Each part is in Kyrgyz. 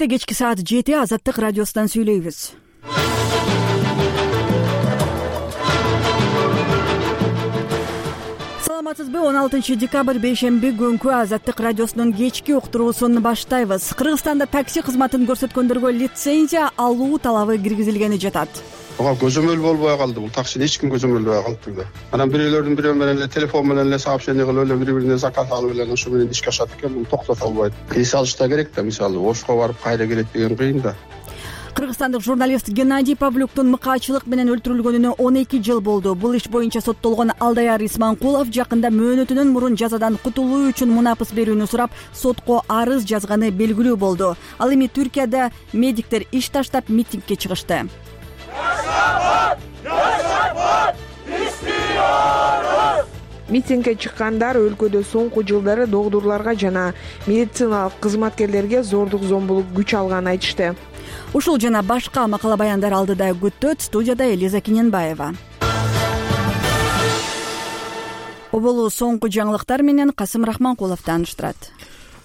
Эфирде кечки саат 7 Азаттык радиосунан сүйлөйбүз. Саламатсызбы? 16 декабрь бейшемби күнкү Азаттык радиосунун кечки уктуруусун баштайбыз. Кыргызстанда такси кызматын көрсөткөндөргө лицензия алуу талабы киргизилгени жатат. Ага көзөмөл болбой калды. Бул таксини эч ким көзөмөлдөй калды да. Анан бирөөлөрдүн бирөө менен эле телефон менен эле сообщение кылып эле бири-бирине заказ алып эле ошо менен ишке ашат экен. Муну токтото албайт. Эс алыш да керек да, мисалы Ошко барып кайра келет деген кыйын да. Кыргызстандык журналист Геннадий Павлюктун мыкаачылык менен өлтүрүлгөнүнө 12 жыл болду. Бул иш боюнча соттолгон Алдаяр Исманкулов жакында мөөнөтүнөн мурун жазадан кутулуу үчүн мунапыс берүүнү сурап, сотко арыз жазганы белгилүү болду. Ал эми Түркияда медиктер иш таштап митингге чыгышты. Митингге чыккандар өлкөдө соңку жылдары докторлорго жана медициналык кызматкерлерге зордук зомбулук күч алганын айтышты. Ушул жана башка макала баяндар алдыда күттөт. Студияда Элиза Киненбаева. Оболу соңку жаңылыктар менен Касым Рахманкулов тааныштырат.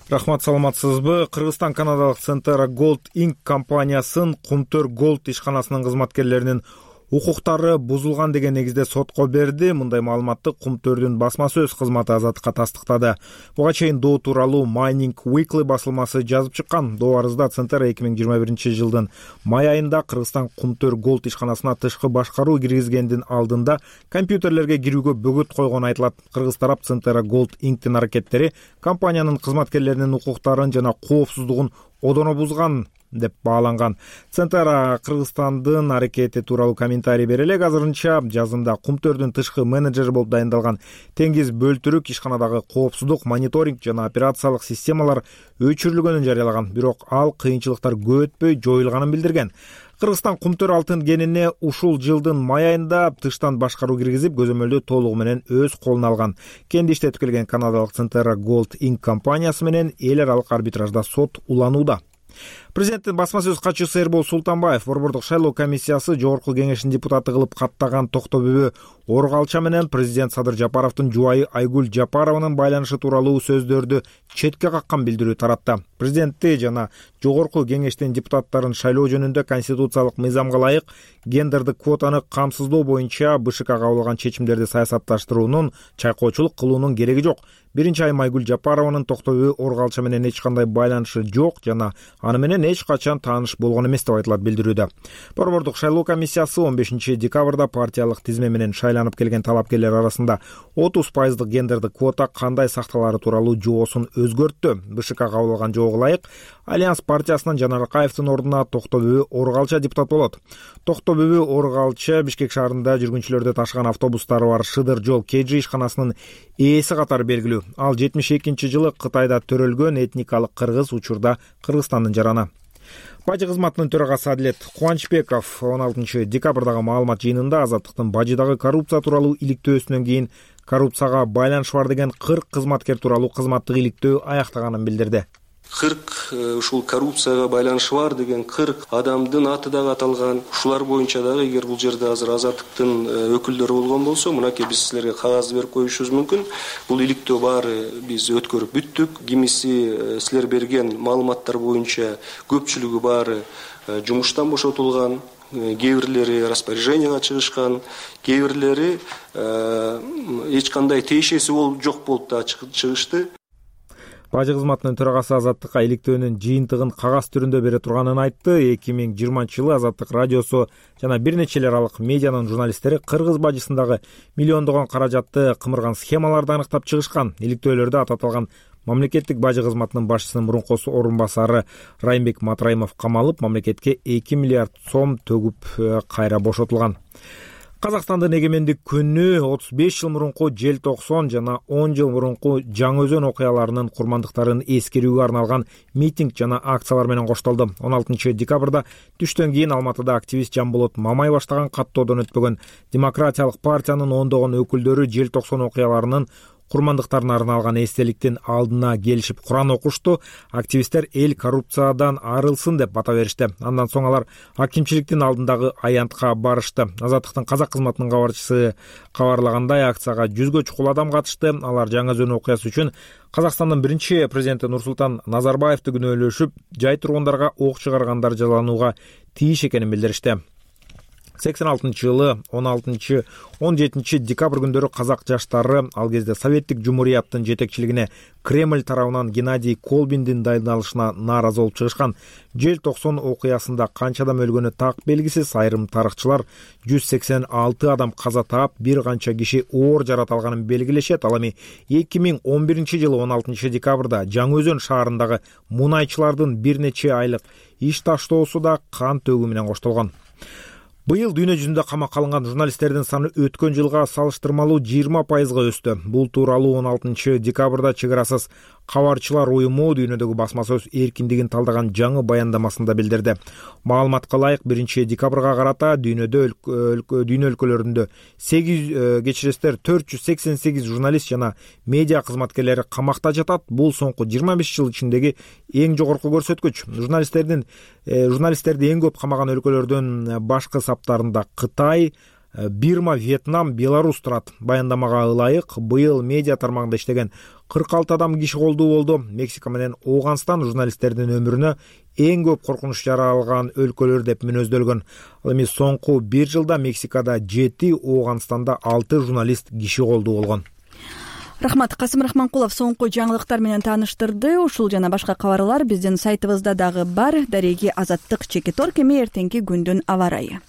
Рахмат, саламатсызбы? Кыргызстан канадалык Centera Gold Inc. компаниясын Кумтөр Gold ишканасынын кызматкерлеринин укуктары бузулган деген негизде сотко берди. Мындай маалыматты Кумтөрдүн басма сөз кызматы Азаттыкка тастыктады. Буга чейин доо тууралуу Mining Weekly басылмасы жазып чыккан. Доо арызда Centera 2021 жылдын май айында Кыргызстан Кумтөр Gold ишканасына тышкы башкаруу киргизгендин алдында компьютерлерге кирүүгө бөгөт койгону айтылат. Кыргыз тарап Centera Gold Inc.тин аракеттери компаниянын кызматкерлеринин укуктарын жана коопсуздугун одоно бузган деп бааланган. Centera Кыргызстандын аракети тууралуу комментарий бере элек. Азырынча жазында Кумтөрдүн тышкы менеджери болуп дайындалган Теңиз Бөлтүрүк ишканадагы коопсуздук, мониторинг жана операциялык системалар өчүрүлгөнүн жарыялаган. Бирок ал кыйынчылыктар көп өтпөй жоюлганын билдирген. Кыргызстан Кумтөр алтын кенине ушул жылдын май айында тыштан башкаруу киргизип, көзөмөлдү толугу менен өз колуна алган. Кенди иштетип келген канадалык Centera Gold Inc. компаниясы менен эл аралык арбитражда сот уланууда. Президенттин басма сөз катчысы Эрбол Султанбаев Борбордук шайлоо комиссиясы жогорку кеңешинин депутаты кылып каттаган Токтобүбү Оргалча менен президент Садыр Жапаровдун жубайы Айгүл Жапарованын байланышы тууралуу сөздөрдү четке каккан билдирүү таратты. Президентти жана жогорку кеңештин депутаттарын шайлоо жөнүндө конституциялык мыйзамга ылайык гендердик квотаны камсыздоо боюнча БШК кабыл алган чечимдерди саясатташтыруунун, чайкоочулук кылуунун кереги жок. Биринчи айым Айгүл Жапарованын Токтобүбү Оргалча менен эч кандай байланышы жок жана аны менен эч качан тааныш болгон эмес деп айтылат билдирүүдө. Борбордук шайлоо комиссиясы 15 декабрда партиялык тизме менен шайланып келген талапкерлер арасында 30% гендердик квота кандай сакталары тууралуу жоосун өзгөрттү. БШК кабыл алган жоого ылайык Альянс партиясынан Жанар Акаевдин ордуна Токтобүбү Оргалча депутат болот. Токтобүбү Оргалча Бишкек шаарында жүргүнчүлөрдү ташыган автобустары бар Шыдыр жол KG ишканасынын ээси катары белгилүү. Ал 72 жылы Кытайда төрөлгөн этникалык кыргыз, учурда Кыргызстандын жараны. Бажы кызматынын төрагасы Адилет Кубанычбеков 16 декабрдагы маалымат жыйынында Азаттыктын бажыдагы коррупция тууралуу иликтөөсүнөн кийин коррупцияга байланышы бар деген 40 кызматкер тууралуу кызматтык иликтөө аяктаганын билдирди. 40 ушул коррупцияга байланышы бар деген 40 адамдын аты дагы аталган. Ушулар боюнча дагы эгер бул жерде азыр Азаттыктын өкүлдөрү болгон болсо, мынакей биз силерге кагаз берип коюшубуз мүмкүн. Бул иликтөө баары биз өткөрүп бүттүк. Кимиси силер берген маалыматтар боюнча көпчүлүгү баары жумуштан бошотулган, кээ бирлери распоряженияга чыгышкан, кээ бирлери эч кандай тиешеси жок болуп да чыгышты. Бажы кызматынын төрагасы Азаттыкка иликтөөнүн жыйынтыгын кагаз түрүндө бере турганын айтты. 2020 жылы Азаттык радиосу жана бир нече эл аралык медианын журналисттери кыргыз бажысындагы миллиондогон каражатты кымырган схемаларды аныктап чыгышкан. Иликтөөлөрдө аталган мамлекеттик бажы кызматынын башчысынын мурунку орун басары Райымбек Матраимов камалып, мамлекетке 2 миллиард сом төгүп кайра бошотулган. Казакстандын эгемендик күнү 35 жыл мурунку желтоксон жана 10 жыл мурунку Жаңы Өзөн окуяларынын курмандыктарын эскерүүгө арналган митинг жана акциялар менен коштолду. 16 декабрда түштөн кийин Алматыда активист Жамболот Мамай баштаган каттоодон өтпөгөн Демократиялык партиянын ондогон өкүлдөрү желтоксон окуяларынын курмандыктарына арналган эстеликтин алдына келишип Куран окушту. Активисттер эл коррупциядан арылсын деп бата беришти. Андан соң алар акимчиликтин алдындагы аянтка барышты. Азаттыктын казак кызматынын кабарчысы кабарлагандай, акцияга 100гө чукул адам катышты. Алар Жаңы Өзөн окуясы үчүн Казакстандын биринчи президенти Нурсултан Назарбаевди күнөөлөшүп, жай тургундарга ок чыгаргандар жазаланууга тийиш экенин билдиришти. 86-жылы 16-17 декабрь күндөрү казак жаштары, ал кезде Советтик Жумурияттын жетекчилигине Кремль тарабынан Геннадий Колбиндин дайындалышына нааразы болуп чыгышкан Жел-90 окуясында канча адам өлгөнү так белгисиз. Айрым тарыхчылар 186 адам каза таап, бир канча киши оор жарат алганын белгилешет. Ал эми 2011-жылы 16 декабрда Жаңы Өзөн шаарындагы мунайчылардын бир нече айлык иш таштоосу да кан төгүү менен коштолгон. Быйыл дүйнө жүзүндө камакка алынган журналисттердин саны өткөн жылга салыштырмалуу 20%га өстү. Бул тууралуу 16 декабрда Чек арасыз кабарчылар уюму дүйнөдөгү басма сөз эркиндигин талдаган жаңы баяндамасында билдирди. Маалыматка ылайык 1 декабрга карата дүйнө өлкөлөрүндө 488 журналист жана медиа кызматкерлери камакта жатат. Бул соңку 25 жыл ичиндеги эң жогорку көрсөткүч. Журналисттерди эң көп камаган өлкөлөрдүн башкы саптарында Кытай, Бирма, Вьетнам, Беларусь турат. Баяндамага ылайык, быйыл медиа тармагында иштеген 46 адам киши колдуу болду. Мексика менен Ооганстан журналисттердин өмүрүнө эң көп коркунуч жаралган өлкөлөр деп мүнөздөлгөн. Ал эми соңку 1 жылда Мексикада 7, Ооганстанда 6 журналист киши колдуу болгон. Рахмат. Касым Рахманкулов соңку жаңылыктар менен тааныштырды. Ушул жана башка кабарлар биздин сайтыбызда дагы бар. Дареги Азаттык Чекиторг. Эми эртеңки күндүн аба ырайы.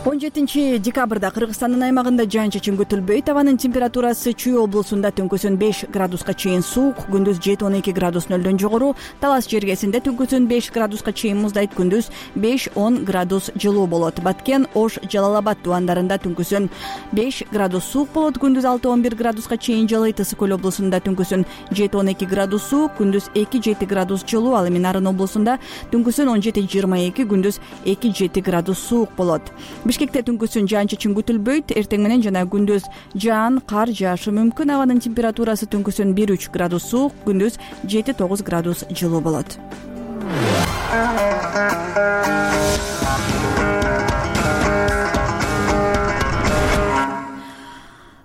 17 декабрда Кыргызстандын аймагында жаан-чачын күтүлбөйт. Абанын температурасы Чүй облусунда түнкүсүн 5 градуска чейин суук, күндүз 7-12 градус нөлдөн жогору. Талас жергесинде түнкүсүн 5 градуска чейин муздайт, күндүз 5-10 градус жылуу болот. Баткен, Ош, Жалал-Абад тубандарында түнкүсүн 5 градус суук болот, күндүз 6-11 градуска чейин жылыйт. Ысык Көл облусунда түнкүсүн 7-12 градус суук, күндүз 2-7 градус жылуу. Ал эми Нарын облусунда түнкүсүн 17-22, күндүз 2-7 градус суук болот. Бишкекте түнкүсүн жаан-чачын күтүлбөйт. Эртең менен жана күндүз жаан, кар жаашы мүмкүн. Абанын температурасы түнкүсүн 1-3 градус суук, күндүз 7-9 градус жылуу болот.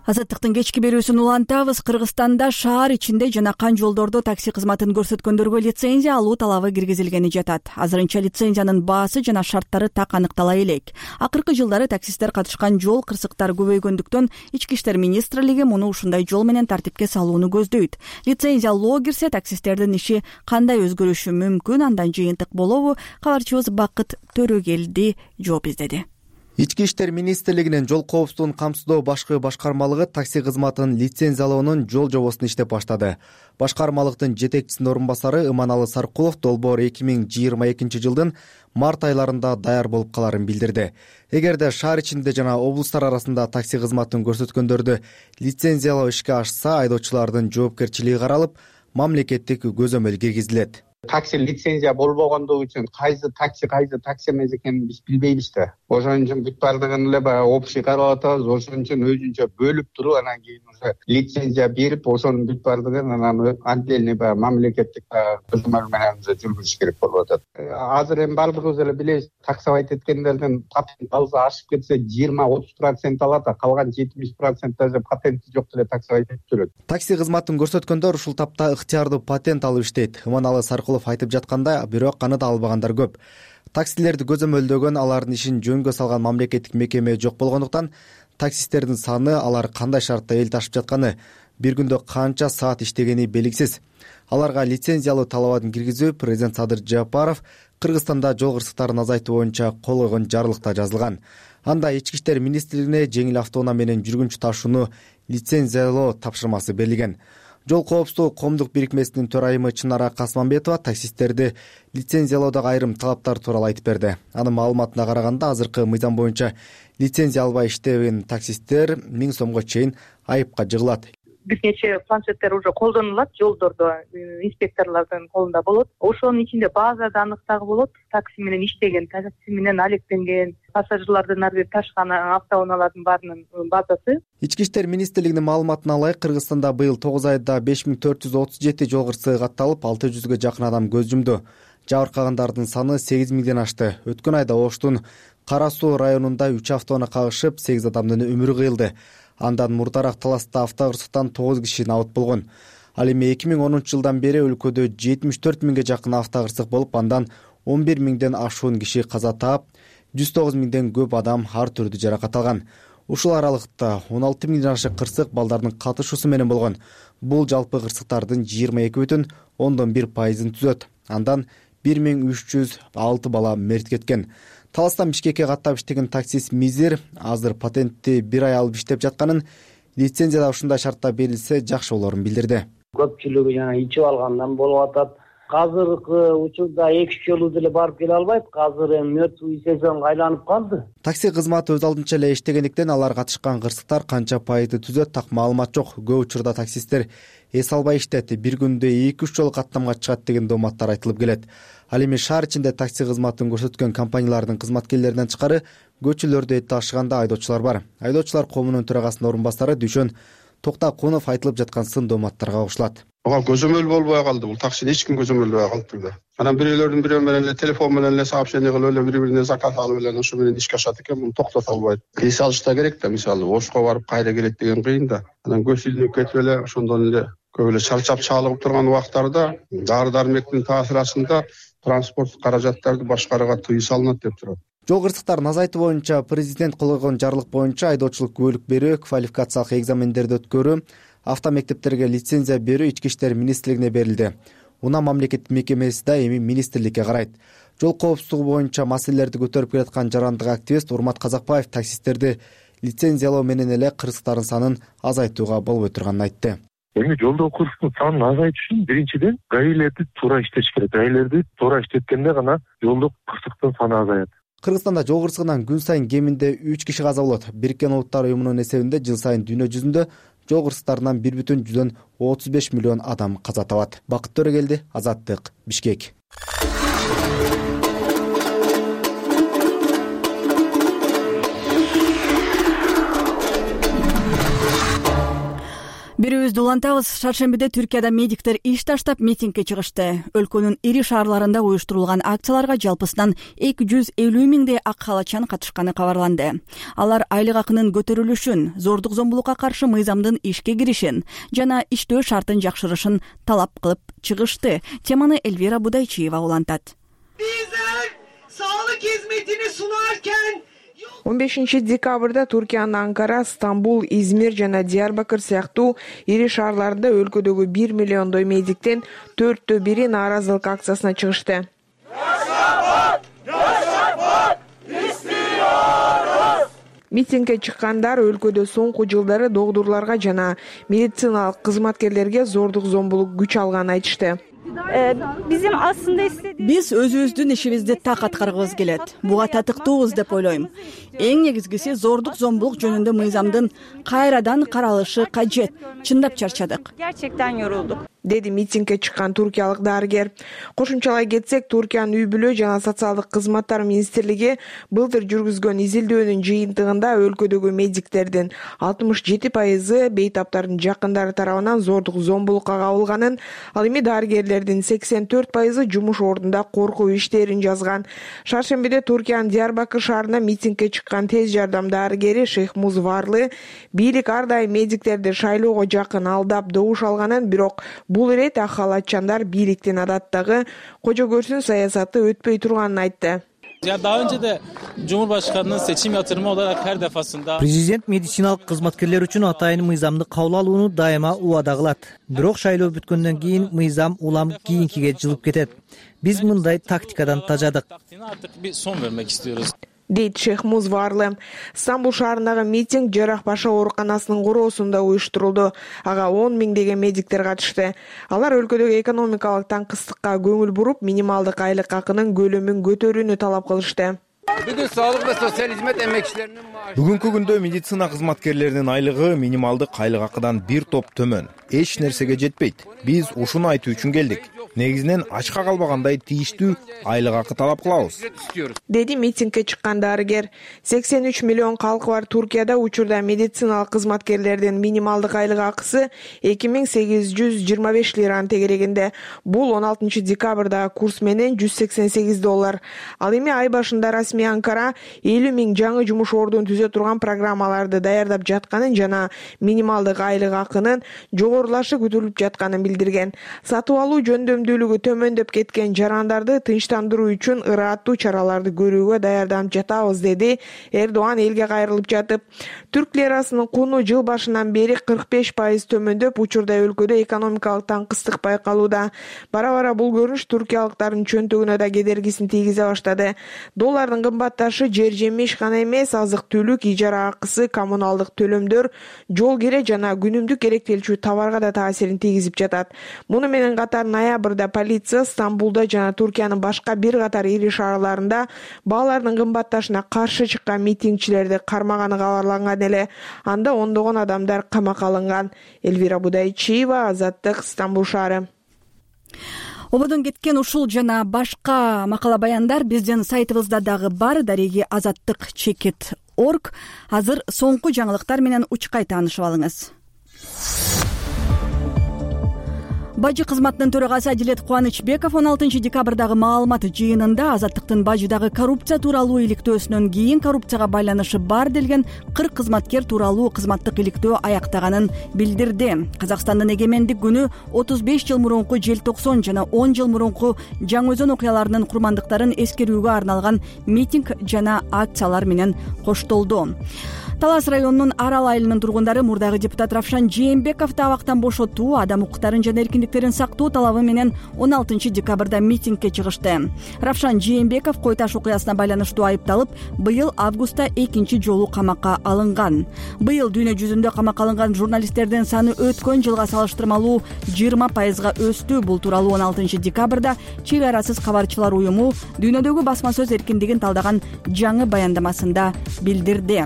Азаттыктын кечки берүүсүн улантабыз. Кыргызстанда шаар ичинде жана кан жолдордо такси кызматын көрсөткөндөргө лицензия алуу талабы киргизилгени жатат. Азырынча лицензиянын баасы жана шарттары так аныктала элек. Акыркы жылдары таксисттер катышкан жол кырсыктары көбөйгөндүктөн Ички иштер министрлиги муну ушундай жол менен тартипке салууну көздөйт. Лицензия алуу кирсе, таксисттердин иши кандай өзгөрүшү мүмкүн, андан жыйынтык болобу? Кабарчыбыз Бакыт Төрөгелди жооп издеди. Ички иштер министрлигинин жол коопсуздугун камсыздоо башкы башкармалыгы такси кызматын лицензиялоонун жол жобосун иштеп баштады. Башкармалыктын жетекчисинин орун басары Иманалы Саркулов долбоор 2022 жылдын март айларында даяр болуп каларын билдирди. Эгерде шаар ичинде жана облустар арасында такси кызматын көрсөткөндөрдү лицензиялоо ишке ашса, айдоочулардын жоопкерчилиги каралып, мамлекеттик көзөмөл киргизилет. Такси лицензия болбогондугу үчүн кайсы такси эмес экенин биз билбейбиз да. Ошон үчүн бүт баардыгын эле баягы общий карап атабыз. Ошон үчүн өзүнчө бөлүп туруп, анан кийин уже лицензия берип, ошонун бүт баардыгын анан отдельный баягы мамлекеттик көзөмөл менен жүргүзүш керек болуп атат. Азыр эми баардыгыбыз эле билебиз, таксовать эткендердин патент алса ашып кетсе 20-30% алат, а калган 70% даже патенти жок деле таксовать этип жүрөт. Такси кызматын көрсөткөндөр ушул тапта ыктыярдуу патент алып иштейт. Иманалы Саркулов айтып жаткандай, бирок аны да албагандар көп. Таксилерди көзөмөлдөгөн, алардын ишин жөнгө салган мамлекеттик мекеме жок болгондуктан таксисттердин саны, алар кандай шартта эл ташып жатканы, бир күндө канча саат иштегени белгисиз. Аларга лицензиялуу талабын киргизүү президент Садыр Жапаров Кыргызстанда жол кырсыктарын азайтуу боюнча кол койгон жарлыкта жазылган. Анда Ички иштер министрлигине жеңил автоунаа менен жүргүнчү ташууну лицензиялоо тапшырмасы берилген. Жол коопсуздугу коомдук бирикмесинин төрайымы Чынара Касманбетова таксисттерди лицензиялоодогу айрым талаптар тууралуу айтып берди. Анын маалыматына караганда, азыркы мыйзам боюнча лицензия албай иштеген таксисттер 1000 сомго чейин айыпка жыгылат. бир нече планшеттер уже колдонулат жолдордо, инспекторлордун колунда болот. Ошонун ичинде базада анык дагы болот. Такси менен иштеген, такси менен алектенген, пассажирлардын ар бир ташкан автоунаалардын баарынын базасы. Ички иштер министрлигинин маалыматына ылайык, Кыргызстанда быйыл 9 айда 5437 жол кырсыгы катталып, 600га жакын адам көз жумду. Жабыркагандардын саны 8000ден ашты. Өткөн айда Оштун Кара Суу районунда 3 автоунаа кагышып, 8 адамдын өмүрү кыйылды. Андан мурдараак таласта автокырсыктан 9 киши набыт болгон. Ал эми 2010 жылдан бери өлкөдө 74 миңге жакын автокырсык болуп, андан 11 миңден ашуун киши каза таап, 109 миңден көп адам ар түрдүү жаракат алган. Ушул аралыкта 16 миңден ашык кырсык балдардын катышуусу менен болгон. Бул жалпы кырсыктардын 22,1%-ын түзөт. Андан 1306 бала мерт кеткен. Таластан Бишкекке каттап иштеген таксист Мизир азыр патентти 1 ай алып иштеп жатканын, лицензия да ушундай шартта берилсе жакшы болорун билдирди. Көпчүлүгү ичип алгандан болуп атат. Азыркы учурда 2 жолу деле барып келе албайт. Азыр мертвый сезонго айланып калды. Такси кызматы өз алдынча эле иштегендиктен алар катышкан кырсыктар канча пайызды түзөт так маалымат жок. Көп учурда таксисттер эс албай иштет, бир күндө 2-3 жолу каттамга чыгат деген дооматтар айтылып келет. Ал эми шаар ичинде такси кызматын көрсөткөн компаниялардын кызматкерлеринен тышкары көчөлөрдө эт ташыганда айдоочулар бар. Айдоочулар коомунун төрагасынын орун басары Дүйшөн Токтакунов айтылып жаткан сын дооматтарга кошулат. Ага көзөмөл болбой калды. Бул таксини эч ким көзөмөлдөй калды. Анан бирөөлөрдүн бирөө менен эле телефон менен эле сообщение кылып эле бири-бирине заказ алып эле ошо менен ишке ашат экен. Муну токтото албайт. Эс алышта керек да, мисалы Ошко барып кайра келет деген кыйын да. Анан көз илинип кетип эле ошондон эле көп эле чалчап чалыгып турган убактарда дары-дармектин таасирасында транспорт каражаттарды башкарууга тыюу салынат деп турат. Жол кырсыктарын азайтуу боюнча президент кол койгон жарлык боюнча айдоочулук күбөлүк берүү, квалификациялык экзамендерди өткөрүү, автомектептерге лицензия берүү ички иштер министрлигине берилди. Унаа мамлекеттик мекемеси да эми министрликке карайт. Жол коопсуздугу боюнча маселелерди көтөрүп келаткан жарандык активист Урмат Казакбаев таксисттерди лицензиялоо менен эле кырсыктардын санын азайтууга болбой турганын айтты. Эми жолдогу кырсыктын санын азайтыш үчүн биринчиден гаилерди туура иштеш керек. Гаилерди туура иштеткенде гана жолдогу кырсыктын саны азаят. Кыргызстанда жол кырсыгынан күн сайын кеминде 3 киши каза болот. Бириккен Улуттар уюмунун эсебинде жыл сайын дүйнө жүзүндө жол кырсыктарынан 1,35 миллион адам каза табат. Бакыт Төрөгелди, Азаттык, Бишкек. Бирибизди улантабыз. Шаршембиде Түркияда медиктер иш таштап митингге чыгышты. Өлкөнүн ири шаарларында уюштурулган акцияларга жалпысынан 250 миңдей ак халачан катышканы кабарланды. Алар айлык акынын көтөрүлүшүн, зордук зомбулукка каршы мыйзамдын ишке киришин жана иштөө шартын жакшырышын талап кылып чыгышты. Теманы Элвира Будайчиева улантат. Bizler sağlık hizmetini sunarken 15 декабрда Туркиянын Анкара, Стамбул, Измир жана Диярбакыр сыяктуу ири шаарларында өлкөдөгү 1 миллиондой медиктен 4/1 нааразылык акциясына чыгышты. Митингге чыккандар өлкөдө соңку жылдары доктурларга жана медициналык кызматкерлерге зордук зомбулук күч алганын айтышты. Биз өзүбүздүн ишибизди так аткаргыбыз келет. Буга татыктуубуз деп ойлойм. Эң негизгиси зордук зомбулук жөнүндө мыйзамдын кайрадан каралышы кажет. Чындап чарчадык. Gerçekten yorulduk. Деди митингге чыккан туркиялык дарыгер. Кошумчалай кетсек, Туркиянын үй бүлө жана социалдык кызматтар министрлиги былтыр жүргүзгөн изилдөөнүн жыйынтыгында өлкөдөгү медиктердин 67% бейтаптардын жакындары тарабынан зордук зомбулукка кабылганын, ал эми дарыгерлердин 84% жумуш ордунда коркуу иштерин жазган. Шаршембиде Туркиянын Диярбакыр шаарында митингге чыккан тез жардам дарыгери Шейхмуз Варлы бийлик ар дайым медиктерди шайлоого жакын алдап добуш алганын, бирок бул ирет ак халатчандар бийликтин адаттагы кожо көрсүн саясаты өтпөй турганын айтты. Daha önce de Cumhurbaşkanı'nın seçim yatırımı olarak her defasında Президент медициналык кызматкерлер үчүн атайын мыйзамды кабыл алууну дайыма убада кылат. Бирок шайлоо бүткөндөн кийин мыйзам улам кийинкиге жылып кетет. Биз мындай тактикадан тажадык. Artık bir son vermek istiyoruz. Дейт Шейхмуз Варлы. Стамбул шаарындагы митинг Жарахбаша ооруканасынын короосунда уюштурулду. Ага 10 миңдеген медиктер катышты. Алар өлкөдөгү экономикалык таңкыстыкка көңүл буруп, минималдык айлык акынын көлөмүн көтөрүүнү талап кылышты. Бүгүн соолук ва социаль хизмет эмгекчилеринин бүгүнкү күндө медицина кызматкерлеринин айлыгы минималдык айлык акыдан бир топ төмөн. Эч нерсеге жетпейт. Биз ушуну айтуу үчүн келдик. Негизинен ачка калбагандай тийиштүү айлык акы талап кылабыз, деди митингге чыккан дарыгер. 83 миллион калкы бар Туркияда учурда медициналык кызматкерлердин минималдык айлык акысы 2825 лираны тегерегинде. Бул 16 декабрдагы курс менен $188. Ал эми ай башында расмий Анкара 50 000 жаңы жумуш ордун түзө турган программаларды даярдап жатканын жана минималдык айлык акынын жогорулашы күтүлүп жатканын билдирген. Сатып алуу жөндөмдүүлүгү төмөндөп кеткен жарандарды тынчтандыруу үчүн ырааттуу чараларды көрүүгө даярданып жатабыз, деди Эрдоган элге кайрылып жатып. Түрк лирасынын куну жыл башынан бери 45% төмөндөп, учурда өлкөдө экономикалык таңкыстык байкалууда. Бара-бара бул көрүнүш туркиялыктардын чөнтөгүнө да кедергисин тийгизе баштады. Доллардын кымбатташы жер жемиш гана эмес, азык-түлүк, ижара акысы, коммуналдык төлөмдөр, жол кире жана күнүмдүк керектелчү товарга да таасирин тийгизип жатат. Муну менен катар ноябрда полиция Стамбулда жана Туркиянын башка бир катар ири шаарларында баалардын кымбатташына каршы чыккан митингчилерди кармаганы кабарланган эле. Анда ондогон адамдар камакка алынган. Элвира Будайчиева, Азаттык, Стамбул шаары. Ободон кеткен ушул жана башка макала баяндар биздин сайтыбызда дагы бар. Дареги азаттык чекит.org. Азыр соңку жаңылыктар менен учкай таанышып алыңыз. Бажы кызматынын төрагасы Адилет Кубанычбеков 16 декабрдагы маалымат жыйынында азаттыктын бажыдагы коррупция тууралуу иликтөөсүнөн кийин коррупцияга байланышы бар делген 40 кызматкер тууралуу кызматтык иликтөө аяктаганын билдирди. Казакстандын эгемендик күнү 35 жыл мурунку желтоксон жана 10 жыл мурунку Жаңы-Өзөн окуяларынын курмандыктарын эскерүүгө арналган митинг жана акциялар менен коштолду. Талас районунун Арал айылынын тургундары мурдагы депутат Равшан Жээнбековду абактан бошотуу, адам укуктарын жана эркиндиктерин сактоо талабы менен 16 декабрда митингге чыгышты. Равшан Жээнбеков кой таш окуясына байланыштуу айыпталып, быйыл августта экинчи жолу камакка алынган. Быйыл дүйнө жүзүндө камакка алынган журналисттердин саны өткөн жылга салыштырмалуу 20%га өстү. Бул тууралуу 16 декабрда Чек арасыз кабарчылар уюму дүйнөдөгү басма сөз эркиндигин талдаган жаңы баяндамасында билдирди.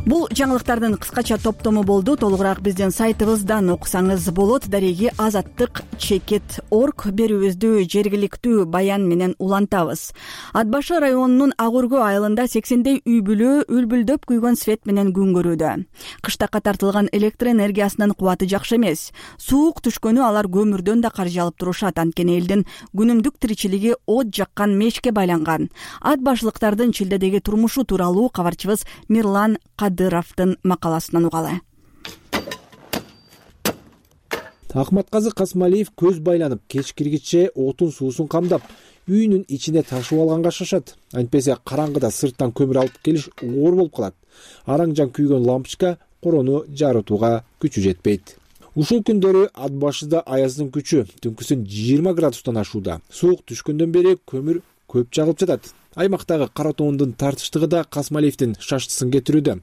Бул жаңылыктардын кыскача топтому болду. Толугураак биздин сайтыбыздан окусаңыз болот. Дареги азаттык чекит.org берүүбүздү жергиликтүү баян менен улантабыз. Ат башы районунун Ак Өргө айылында 80дей үй бүлө үлбүлдөп күйгөн свет менен күн көрүүдө. Кыштакка тартылган электр энергиясынын кубаты жакшы эмес. Суук түшкөнү алар көмүрдөн да каржы алып турушат. Анткени элдин күнүмдүк тиричилиги от жаккан мешке байланган. Ат башылыктардын чилдедеги турмушу тууралуу кабарчыбыз Мирлан Кадыровдун макаласынан угалы. Ахматказы Касмалиев көз байланып, кечкиргиче отун суусун камдап, үйүнүн ичине ташып алганга шашат. Антпесе караңгыда сырттан көмүр алып келиш оор болуп калат. Араң-жан күйгөн лампочка корону жарытууга күчү жетпейт. Ушул күндөрү ат башыда аяздын күчү түнкүсүн 20 градустан ашууда. Суук түшкөндөн бери көмүр көп жагылып жатат. Аймактагы кара тоондун тартыштыгы да Касмалиевдин шаштысын кетирүүдө.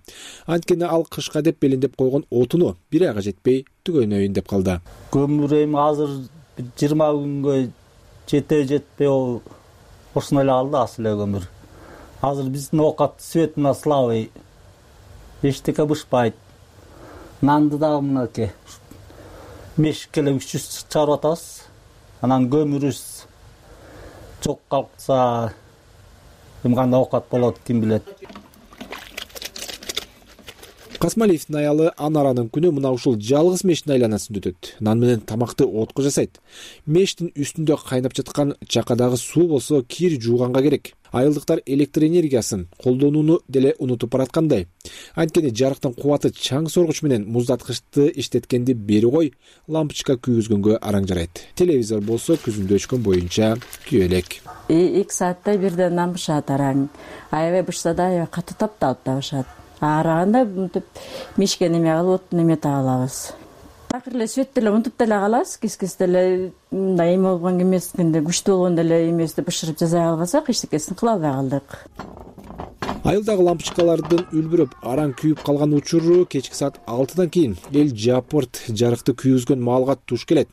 Анткени ал кышка деп белиндеп койгон отуну бир айга жетпей түгөнөйүн деп калды. Көмүр эми азыр 20 күнгө жетпей ошондой эле калды асыл эле көмүр. Азыр биздин оокат светине слабый. Эчтеке бышпайт. Нанды дагы мынакей мешикке эле 300 чыгарып атабыз. Анан көмүрүбүз жок калса эми кандай оокат болот, ким билет. Касмалиевдин аялы Анаранын күнү мына ушул жалгыз мештин айланасында өтөт. Нан менен тамакты отко жасайт. Мештин үстүндө кайнап жаткан чакадагы суу болсо кир жууганга керек. Айылдыктар электр энергиясын колдонууну деле унутуп бараткандай. Анткени жарыктын кубаты чаң соргуч менен муздаткычты иштеткенди бери кой, лампочка күйгүзгөнгө араң жарайт. Телевизор болсо күзүндө өчкөн боюнча күйө элек. 2 саатта бирден нан бышат араң. Аябай бышса да аябай катуу тапталып да бышат. Араганда мынтип мешке неме кылып, неме таалабыз. Такыр эле свет деле мынтип деле калабыз, кис-кис деле мындай эме болгон эмес, кандай күчтүү болгондо эле эмесине бышырып жасай албасак эчтекесин кыла албай калдык. Айылдагы лампочкалардын үлбүрөп араң күйүп калган учуру кечки саат 6-дан кийин эл жапырт жарыкты күйгүзгөн маалга туш келет.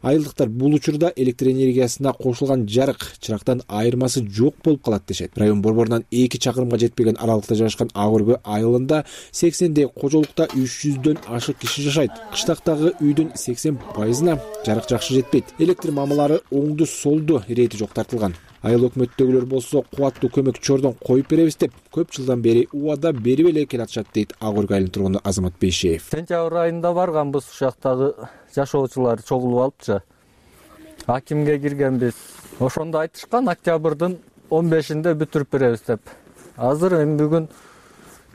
Айылдыктар бул учурда электр энергиясына кошулган жарык чырактан айырмасы жок болуп калат дешет. Район борборунан 2 чакырымга жетпеген аралыкта жайгашкан Ак Өргө айылында 80дей кожолукта 300дөн ашык киши жашайт. Кыштактагы үйдүн 80%-на жарык жакшы жетпейт. Электр мамалары оңду солду ирети жок тартылган. Айыл өкмөттөгүлөр болсо кубаттуу көмөк чордон коюп беребиз деп көп жылдан бери убада берип эле келатышат дейт Ак Өргө айылынын тургуну Азамат Бейшеев. Сентябрь айында барганбыз, ушактагы жашоочулар чогулуп алыпчы. Акимге киргенбиз. Ошондо айтышкан октябрдын 15-inde бүтүрүп беребиз деп. Азыр эми бүгүн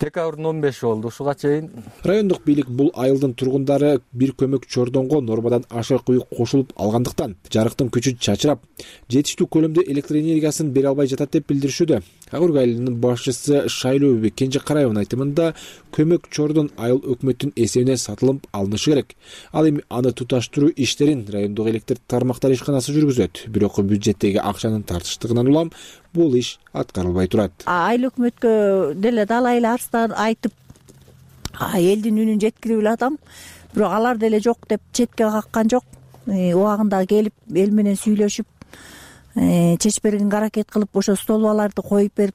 декабрдын 15 болду. Ушуга чейин райондук бийлик бул айылдын тургундары бир көмөк чордонго нормадан ашык үй кошулуп алгандыктан жарыктын күчү чачырап, жетиштүү көлөмдө электр энергиясын бере албай жатат деп билдиришүүдө. Ак Өргө айылынын башчысы Шайлообек Кенжекараевдин айтымында көмөк чордон айыл өкмөттүн эсебине сатылып алынышы керек. Ал эми аны туташтыруу иштерин райондук электр тармактар ишканасы жүргүзөт. Бирок бюджеттеги акчанын тартыштыгынан улам бул иш аткарылбай турат. Айыл өкмөткө деле далайла арстан айтып, элдин үнүн жеткирип эле атам. Бирок алар деле жок деп четке каккан жок. Убагында келип эл менен сүйлөшүп, чечип бергенге аракет кылып, ошо столбаларды коюп берип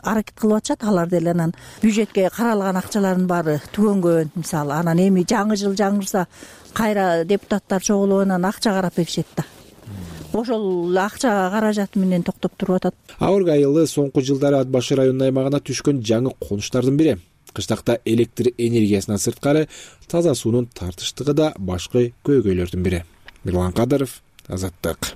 аракет кылып атышат. Алар деле анан бюджетке каралган акчалардын баары түгөнгөн. Мисалы, анан эми жаңы жыл жаңырса кайра депутаттар чогулуп анан акча карап беришет да. Ошол акча каражаты менен токтоп туруп атат. Ак Өргө айылы соңку жылдары Ат башы районунун аймагына түшкөн жаңы конуштардын бири. Кыштакта электр энергиясынан сырткары таза суунун тартыштыгы да башкы көйгөйлөрдүн бири. Мирлан Кадыров, Азаттык.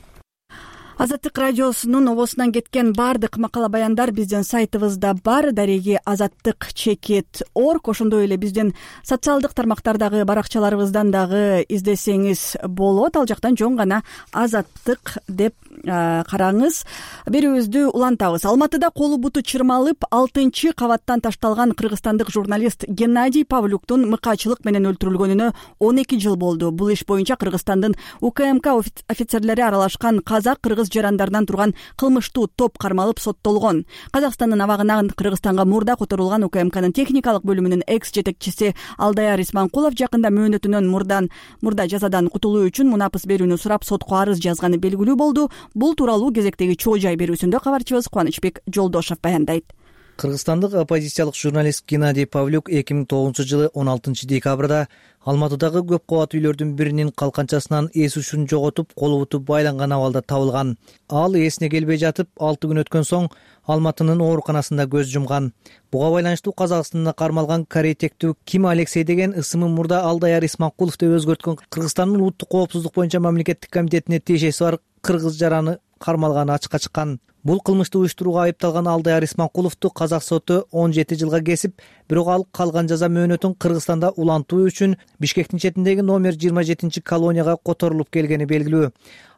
Азаттык радиосунун обосунан кеткен баардык макала баяндар биздин сайтыбызда бар. Дареги azattik.org. Ошондой эле биздин социалдык тармактардагы баракчаларыбыздан дагы издесеңиз болот. Ал жактан жөн гана Азаттык деп караңыз. Берүүбүздү улантабыз. Алматыда колу буту чырмалып 6-кабаттан ташталган кыргызстандык журналист Геннадий Павлюктун мыкаачылык менен өлтүрүлгөнүнө 12 жыл болду. Бул иш боюнча Кыргызстандын УКМК офицерлери аралашкан казак-кыргыз жарандарынан турган кылмыштуу топ кармалып соттолгон. Казакстандын абагынан Кыргызстанга мурда которулган УКМКнын техникалык бөлүмүнүн экс-жетекчиси Алдаяр Исманкулов жакында мөөнөтүнөн мурда жазадан кутулуу үчүн мунапыс берүүнү сурап сотко арыз жазганы белгилүү болду. Бул тууралуу кезектеги чоо жай берүүсүндө кабарчыбыз Кубанычбек Жолдошов баяндайт. Кыргызстандык оппозициялык журналист Геннадий Павлюк 2009-жылы 16-декабрда Алматыдагы көп кабат үйлөрдүн биринин калканчасынан эс ушун жоготуп, колу буту байланган абалда табылган. Ал эсине келбей жатып, 6 күн өткөн соң Алматынын ооруканасында көз жумган. Буга байланыштуу Казакстанда кармалган корей-тектүү Ким Алексей деген ысымын мурда Алдаяр Исманкулов деп өзгөрткөн Кыргызстандын улуттук коопсуздук боюнча мамлекеттик комитетине тиешеси бар кыргыз жараны кармалганы ачыкка чыккан. Бул кылмыштуу уюштурууга айыпталган Алдаяр Исманкуловду казак соту 17 жылга кесип, бирок ал калган жаза мөөнөтүн Кыргызстанда улантуу үчүн Бишкектин четиндеги номер 27-колонияга которулуп келгени белгилүү.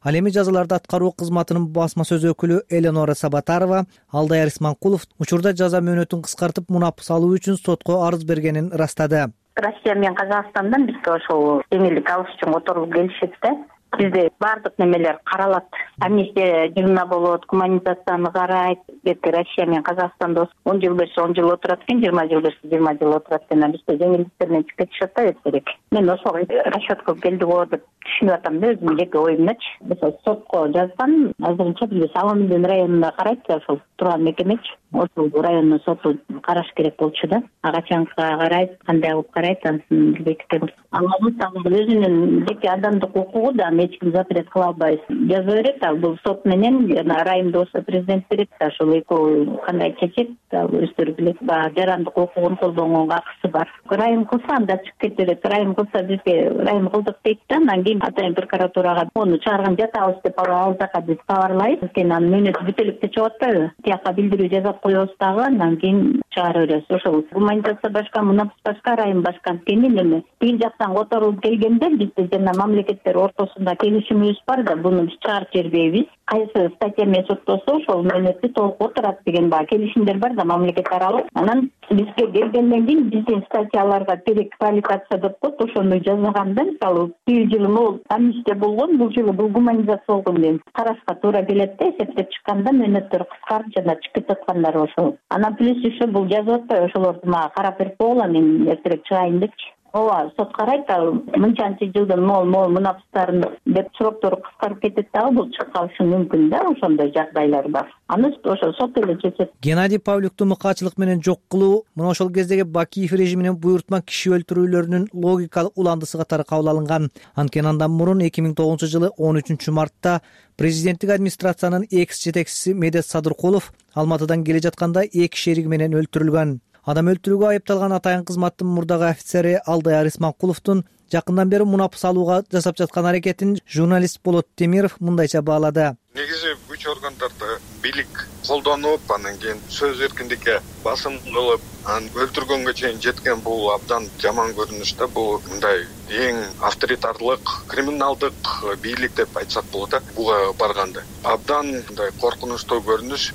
Ал эми жазаларды аткаруу кызматынын басма сөз өкүлү Эленора Сабатарова Алдаяр Исманкулов учурда жаза мөөнөтүн кыскартып мунапыс алуу үчүн сотко арыз бергенин ырастады. Россия менен Казакстандан бизге ошол жеңилдик алыш үчүн которулуп келишет да. Бизде баардык немелер каралат. Амнистия жылына болот, гуманизацияны карайт. Бетке Россия менен Казакстанда 10 жыл берсе 10 жыл отурат экен, 20 жыл берсе 20 жыл отурат экен. Бизде жеңилдиктер менен чыгып кетишет да эртерээк. Мен ошого расчетко келди го деп түшүнүп атам да, өзүмдүн жеке оюмдачы. Мисалы сотко жазган, азырынча бизде Саламындын районунда карайт да, ошол турган мекемечи. Ошол райондун соту караш керек болчу да. Качанка карайт, кандай кылып карайт, ансын билбейт экенбиз. Өзүнүн жеке адамдык укугу да эч ким запрет кыла албайбыз. Жаза берет, ал бул сот менен райымды болсо президент берет да, ошол экөө кандай чечет, өздөрү билет. Жарандык укугун колдонгонго акысы бар. Райым кылса анда чыгып кете берет. Райым кылса бизге райым кылдык дейт да, анан кийин атайын прокуратурага ону чыгарган жатабыз деп ал жака биз кабарлайбыз. Анткени анын мөөнөтү бүтө элек чыгып атпайбы? Тияка билдирүү жазап коебуз дагы, анан кийин чыгара беребиз. Ошол гуманизация башка, мунапыс башка, райым башка. Анткени эме тигин жактан которулуп келгенде бизде жана мамлекеттер ортосунда келишимибиз бар да, буну биз чыгарып жибербейбиз. кайсы статья менен соттосо ошол мөөнөттү толук отурат деген баягы келишимдер бар да мамлекет аралык. Анан бизге келгенден кийин биздин статьяларга переквалификация деп коет, ошону жасаганда мисалы бир жылы могул амнистия болгон, бул жылы бул гуманизация болгон деп карашка туура келет да, эсептеп чыкканда мөөнөттөр кыскарып жана чыгып кетаткандар ошол. Анан плюс еще бул жазып атпайбы ошолорду мага карап берип койгула, мен эртерээк чыгайын депчи. Ооба, сот карайт да мынчанчы жылдын могул мунапыстарын деп сроктору кыскарып кетет дагы, бул чыгып калышы мүмкүн да, ошондой жагдайлар бар. Аны ошо сот эле чечет. Геннадий Павлюкту мыкаачылык менен жок кылуу мына ошол кездеги Бакиев режиминин буйрутма киши өлтүрүүлөрүнүн логикалык уландысы катары кабыл алынган. Анткени андан мурун 2009-жылы 13-мартта президенттик администрациянын экс-жетекчиси Медет Садыркулов Алматыдан келе жатканда эки шериги менен өлтүрүлгөн. Адам өлтүрүүгө айыпталган атайын кызматтын мурдагы офицери Алдаяр Исманкуловдун жакындан бери мунапыс алууга жасап жаткан аракетин журналист Болот Темиров мындайча баалады. Негизи күч органдарды бийлик колдонуп, анан кийин сөз эркиндикке басым кылып, анан өлтүргөнгө чейин жеткен бул абдан жаман көрүнүш да. Бул мындай эң авторитарлык, криминалдык бийлик деп айтсак болот да. Буга барганда абдан мындай коркунучтуу көрүнүш.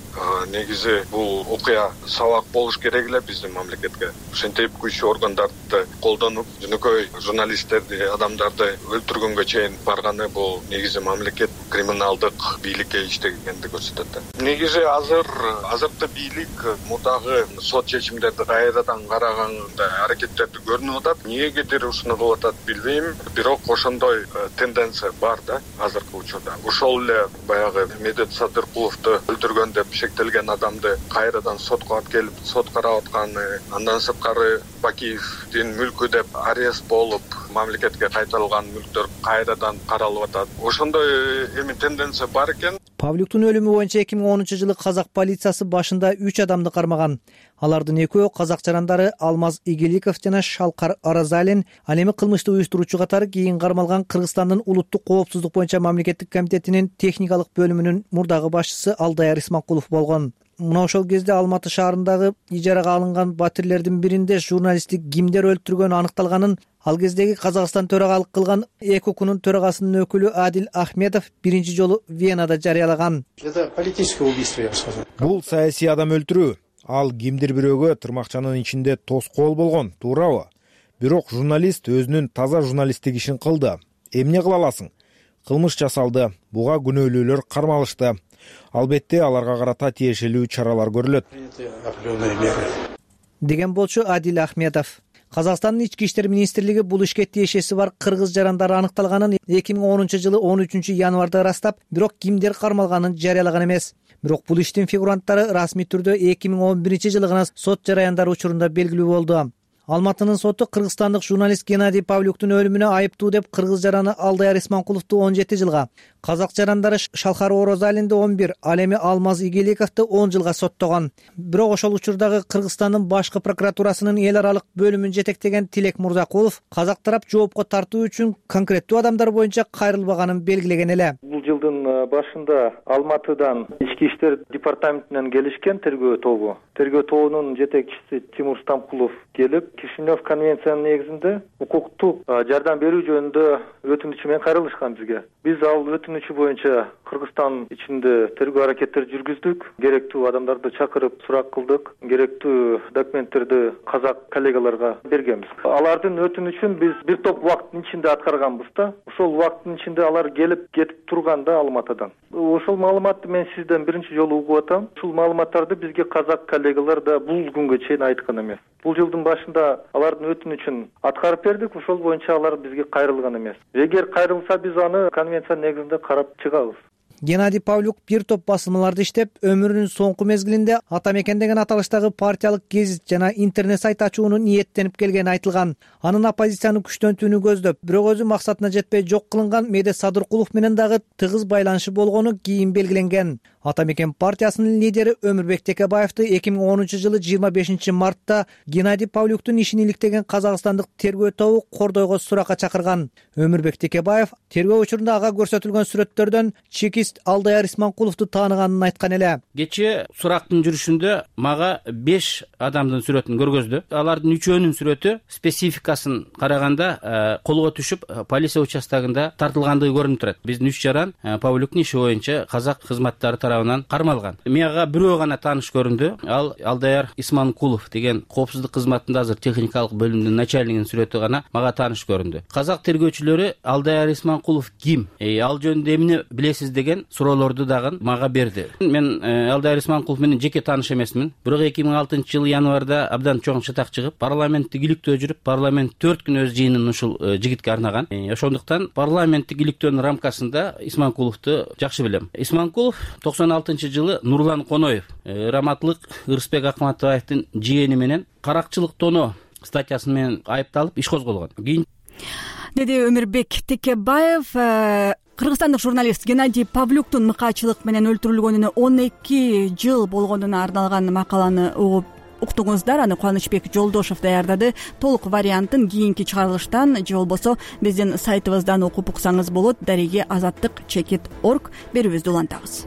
Негизи бул окуя сабак болуш керек эле биздин мамлекетке. Ошентип күч органдарды колдонуп, жөнөкөй журналисттерди, адамдарды өлтүргөнгө чейин барганы бул негизи мамлекет криминалдык бийликке иштегенди көрсөтөт. Негизи азыркы бийлик мурдагы сот чечимдерди кайрадан караганда аракеттерди көрүнүп атат. Эмнегедир ушуну кылып атат билбейм, бирок ошондой тенденция бар да азыркы учурда. Ошол эле баягы Медет Садыркуловду өлтүргөн деп шектелген адамды кайрадан сотко алып келип сот карап атканы, андан сырткары Бакиевдин мүлкү деп арест болуп, мамлекетке кайтарылган мүлктөр кайрадан каралып атат. Ошондой эми тенденция бар экен. Павлюктун өлүмү боюнча 2010-жылы казак полициясы башында 3 адамды кармаган. Алардын экөө казак жарандары Алмаз Игиликов жана Шалкар Аразалин, ал эми кылмышты уюштуруучу катары кийин кармалган Кыргызстандын улуттук коопсуздук боюнча мамлекеттик комитетинин техникалык бөлүмүнүн мурдагы башчысы Алдаяр Исманкулов болгон. Мына ошол кезде Алматы шаарындагы ижарага алынган батирлердин биринде журналистти кимдер өлтүргөнү аныкталганын ал кездеги Казакстан төрагалык кылган ЭКОКунун төрагасынын өкүлү Адил Ахмедов биринчи жолу Венада жарыялаган. Это политическое убийство, я бы сказал. Бул саясий адам өлтүрүү. Ал кимдир бирөөгө тырмакчанын ичинде тоскоол болгон, туурабы? Бирок журналист өзүнүн таза журналисттик ишин кылды. Эмне кыла аласың? Кылмыш жасалды. Буга күнөөлүүлөр кармалышты. Албетте аларга карата тиешелүү чаралар көрүлөт, деген болчу Адил Ахмедов. Казакстандын ички иштер министрлиги бул ишке тиешеси бар кыргыз жарандары аныкталганын 2010-жылы 13-январда ырастап, бирок кимдер кармалганын жарыялаган эмес. Бирок бул иштин фигуранттары расмий түрдө 2011-жылы гана сот жараяндары учурунда белгилүү болду. Алматынын соту кыргызстандык журналист Геннадий Павлюктун өлүмүнө айыптуу деп кыргыз жараны Алдаяр Исманкуловду 17 жылга, казак жарандары Шалкар Оразалинди 11, ал эми Алмаз Игиликовду 10 жылга соттогон. Бирок ошол учурдагы Кыргызстандын башкы прокуратурасынын эл аралык бөлүмүн жетектеген Тилек Мурзакулов казак тарап жоопко тартуу үчүн конкреттүү адамдар боюнча кайрылбаганын белгилеген эле. Бул жылдын башында Алматыдан ички иштер департаментинен келишкен тергөө тобу. Тергөө тобунун жетекчиси Тимур Стамкулов келип, Кишинев конвенциянын негизинде укуктук жардам берүү жөнүндө өтүнүчү менен кайрылышкан бизге. Биз ал өтүнүчү боюнча Кыргызстан ичинде тергөө аракеттер жүргүздүк, керектүү адамдарды чакырып сурак кылдык, керектүү документтерди казак коллегаларга бергенбиз. Алардын өтүнүчүн биз бир топ убакыттын ичинде аткарганбыз да. Ошол убакыттын ичинде алар келип кетип турганда Алматыдан. Ошол маалыматты мен сизден биринчи жолу угуп атам. Ушул маалыматтарды бизге казак коллегалар да бул күнгө чейин айткан эмес. Бул жылдын башында алардын өтүнүчүн аткарып бердик, ошол боюнча алар бизге кайрылган эмес. Эгер кайрылса биз аны конвенция негизинде карап чыгабыз. Геннадий Павлюк бир топ басылмаларды иштеп, өмүрүнүн соңку мезгилинде Ата мекен деген аталыштагы партиялык гезит жана интернет сайт ачууну ниеттенип келгени айтылган. Анын оппозицияны күчтөнтүүнү көздөп, бирок өзү максатына жетпей жок кылынган Медет Садыркулов менен дагы тыгыз байланышы болгону кийин белгиленген. Ата мекен партиясынын лидери Өмүрбек Текебаевди 2010-жылы 25-мартта Геннадий Павлюктун ишин иликтеген казакстандык тергөө тобу кордойго суракка чакырган. Өмүрбек Текебаев тергөө учурунда ага көрсөтүлгөн сүрөттөрдөн чеки журналист Алдаяр Исманкуловду тааныганын айткан эле. Кечээ сурактын жүрүшүндө мага 5 адамдын сүрөтүн көргөздү. Алардын 3өөнүн сүрөтү спецификасын караганда колго түшүп полиция участогунда тартылгандыгы көрүнүп турат. Биздин 3 жаран Павлюктун иши боюнча казак кызматтары тарабынан кармалган. Мага бирөө гана тааныш көрүндү. Ал Алдаяр Исманкулов деген коопсуздук кызматында азыр техникалык бөлүмдүн начальнигинин сүрөтү гана мага тааныш көрүндү. Казак тергөөчүлөрү Алдаяр Исманкулов ким? Ал жөнүндө эмне билесиз деген суроолорду дагы мага берди. Мен Алдаяр Исманкулов менен жеке тааныш эмесмин. Бирок 2006-жылы январда абдан чоң чатак чыгып, парламенттик иликтөө жүрүп, парламент 4 күн өз жыйынын ушул жигитке арнаган. Ошондуктан парламенттик иликтөөнүн рамкасында Исманкуловду жакшы билем. Исманкулов 96-жылы Нурлан Коноев, раматлык Ырысбек Акматовдун жиени менен каракчылык тоноо статьясы менен айыпталып иш козголгон. Деди Өмүрбек Текебаев. Кыргызстандык журналист Геннадий Павлюктун мыкаачылык менен өлтүрүлгөнүнө 12 жыл болгонуна арналган макаланы уктуңуздар. Аны Кубанычбек Жолдошев даярдады. Толук вариантын кийинки чыгарылыштан же болбосо биздин сайтыбыздан окуп уксаңыз болот. Дареги azattik.org берүүбүздү улантабыз.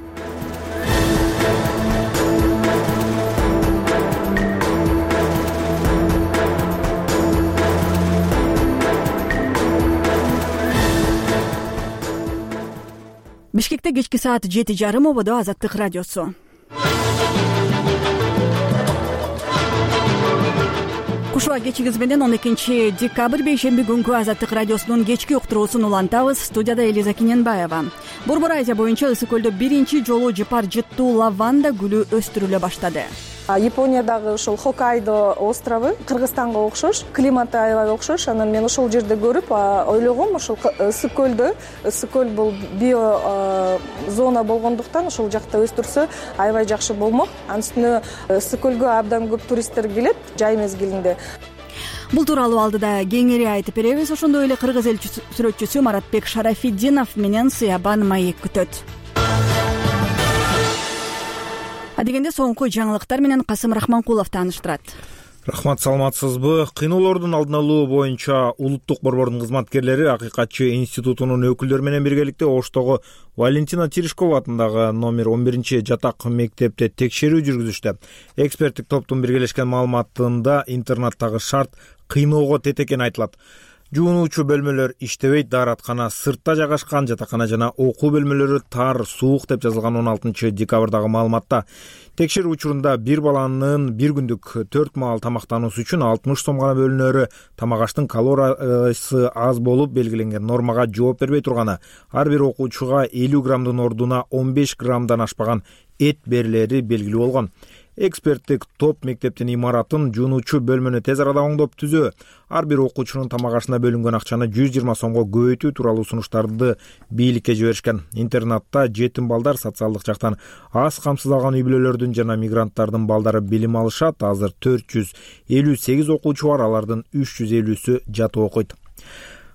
Бишкекте кечки саат 7:30 ободо Азаттык радиосу. Кушуа кечигиз менен 12 декабрь бейшемби күнкү Азаттык радиосунун кечки уктуруусун улантабыз. Студияда Элиза Киненбаева. Борбор Азия боюнча ысык көлдө биринчи жолу жыпар жыттуу лаванда гүлү өстүрүлө баштады. Япониядагы ушул Хоккайдо острову Кыргызстанга окшош, климаты аябай окшош. Анан мен ошол жерде көрүп ойлогом, ушул ысык көл бул био зона болгондуктан ошол жакта өстүрсө аябай жакшы болмок. Анын үстүнө ысык көлгө абдан көп туристтер келет жай мезгилинде. Бул тууралуу алдыда кеңири айтып беребиз. Ошондой эле кыргыз эл сүрөтчүсү Маратбек Шарафиддинов менен Сыябан Маек күтөт. Адегенде соңку жаңылыктар менен Касым Рахманкулов тааныштырат. Рахмат, саламатсызбы? Кыйноолордун алдын алуу боюнча улуттук борбордун кызматкерлери Акыйкатчы институтунун өкүлдөрү менен биргеликте Оштогу Валентина Терешкова атындагы номер 11 жатак мектепте текшерүү жүргүзүштү. Эксперттик топтун биргелешкен маалыматында интернаттагы шарт кыйноого тет экени айтылат. Жуунуучу бөлмөлөр иштебейт, даараткана сыртта жайгашкан, жатакана жана окуу бөлмөлөрү тар, суук деп жазылган 16 декабрдагы маалыматта. Текшерүү учурунда бир баланын бир күндүк 4 маал тамактануусу үчүн 60 сом гана бөлүнөрү, тамак аштын калориясы аз болуп белгиленген нормага жооп бербей турганы, ар бир окуучуга 50 граммдын ордуна 15 граммдан ашпаган эт берилери белгилүү болгон. Эксперттик топ мектептин имаратын, жуунуучу бөлмөнү тез арада оңдоп түзөө, ар бир окуучунун тамак ашына бөлүнгөн акчаны 120 сомго көбөйтүү тууралуу сунуштарды бийликке жиберишкен. Интернатта жетим балдар, социалдык жактан аз камсыздалган үй бүлөлөрдүн жана мигранттардын балдары билим алышат. Азыр 458 окуучу бар, алардын 350сү жатып окуйт.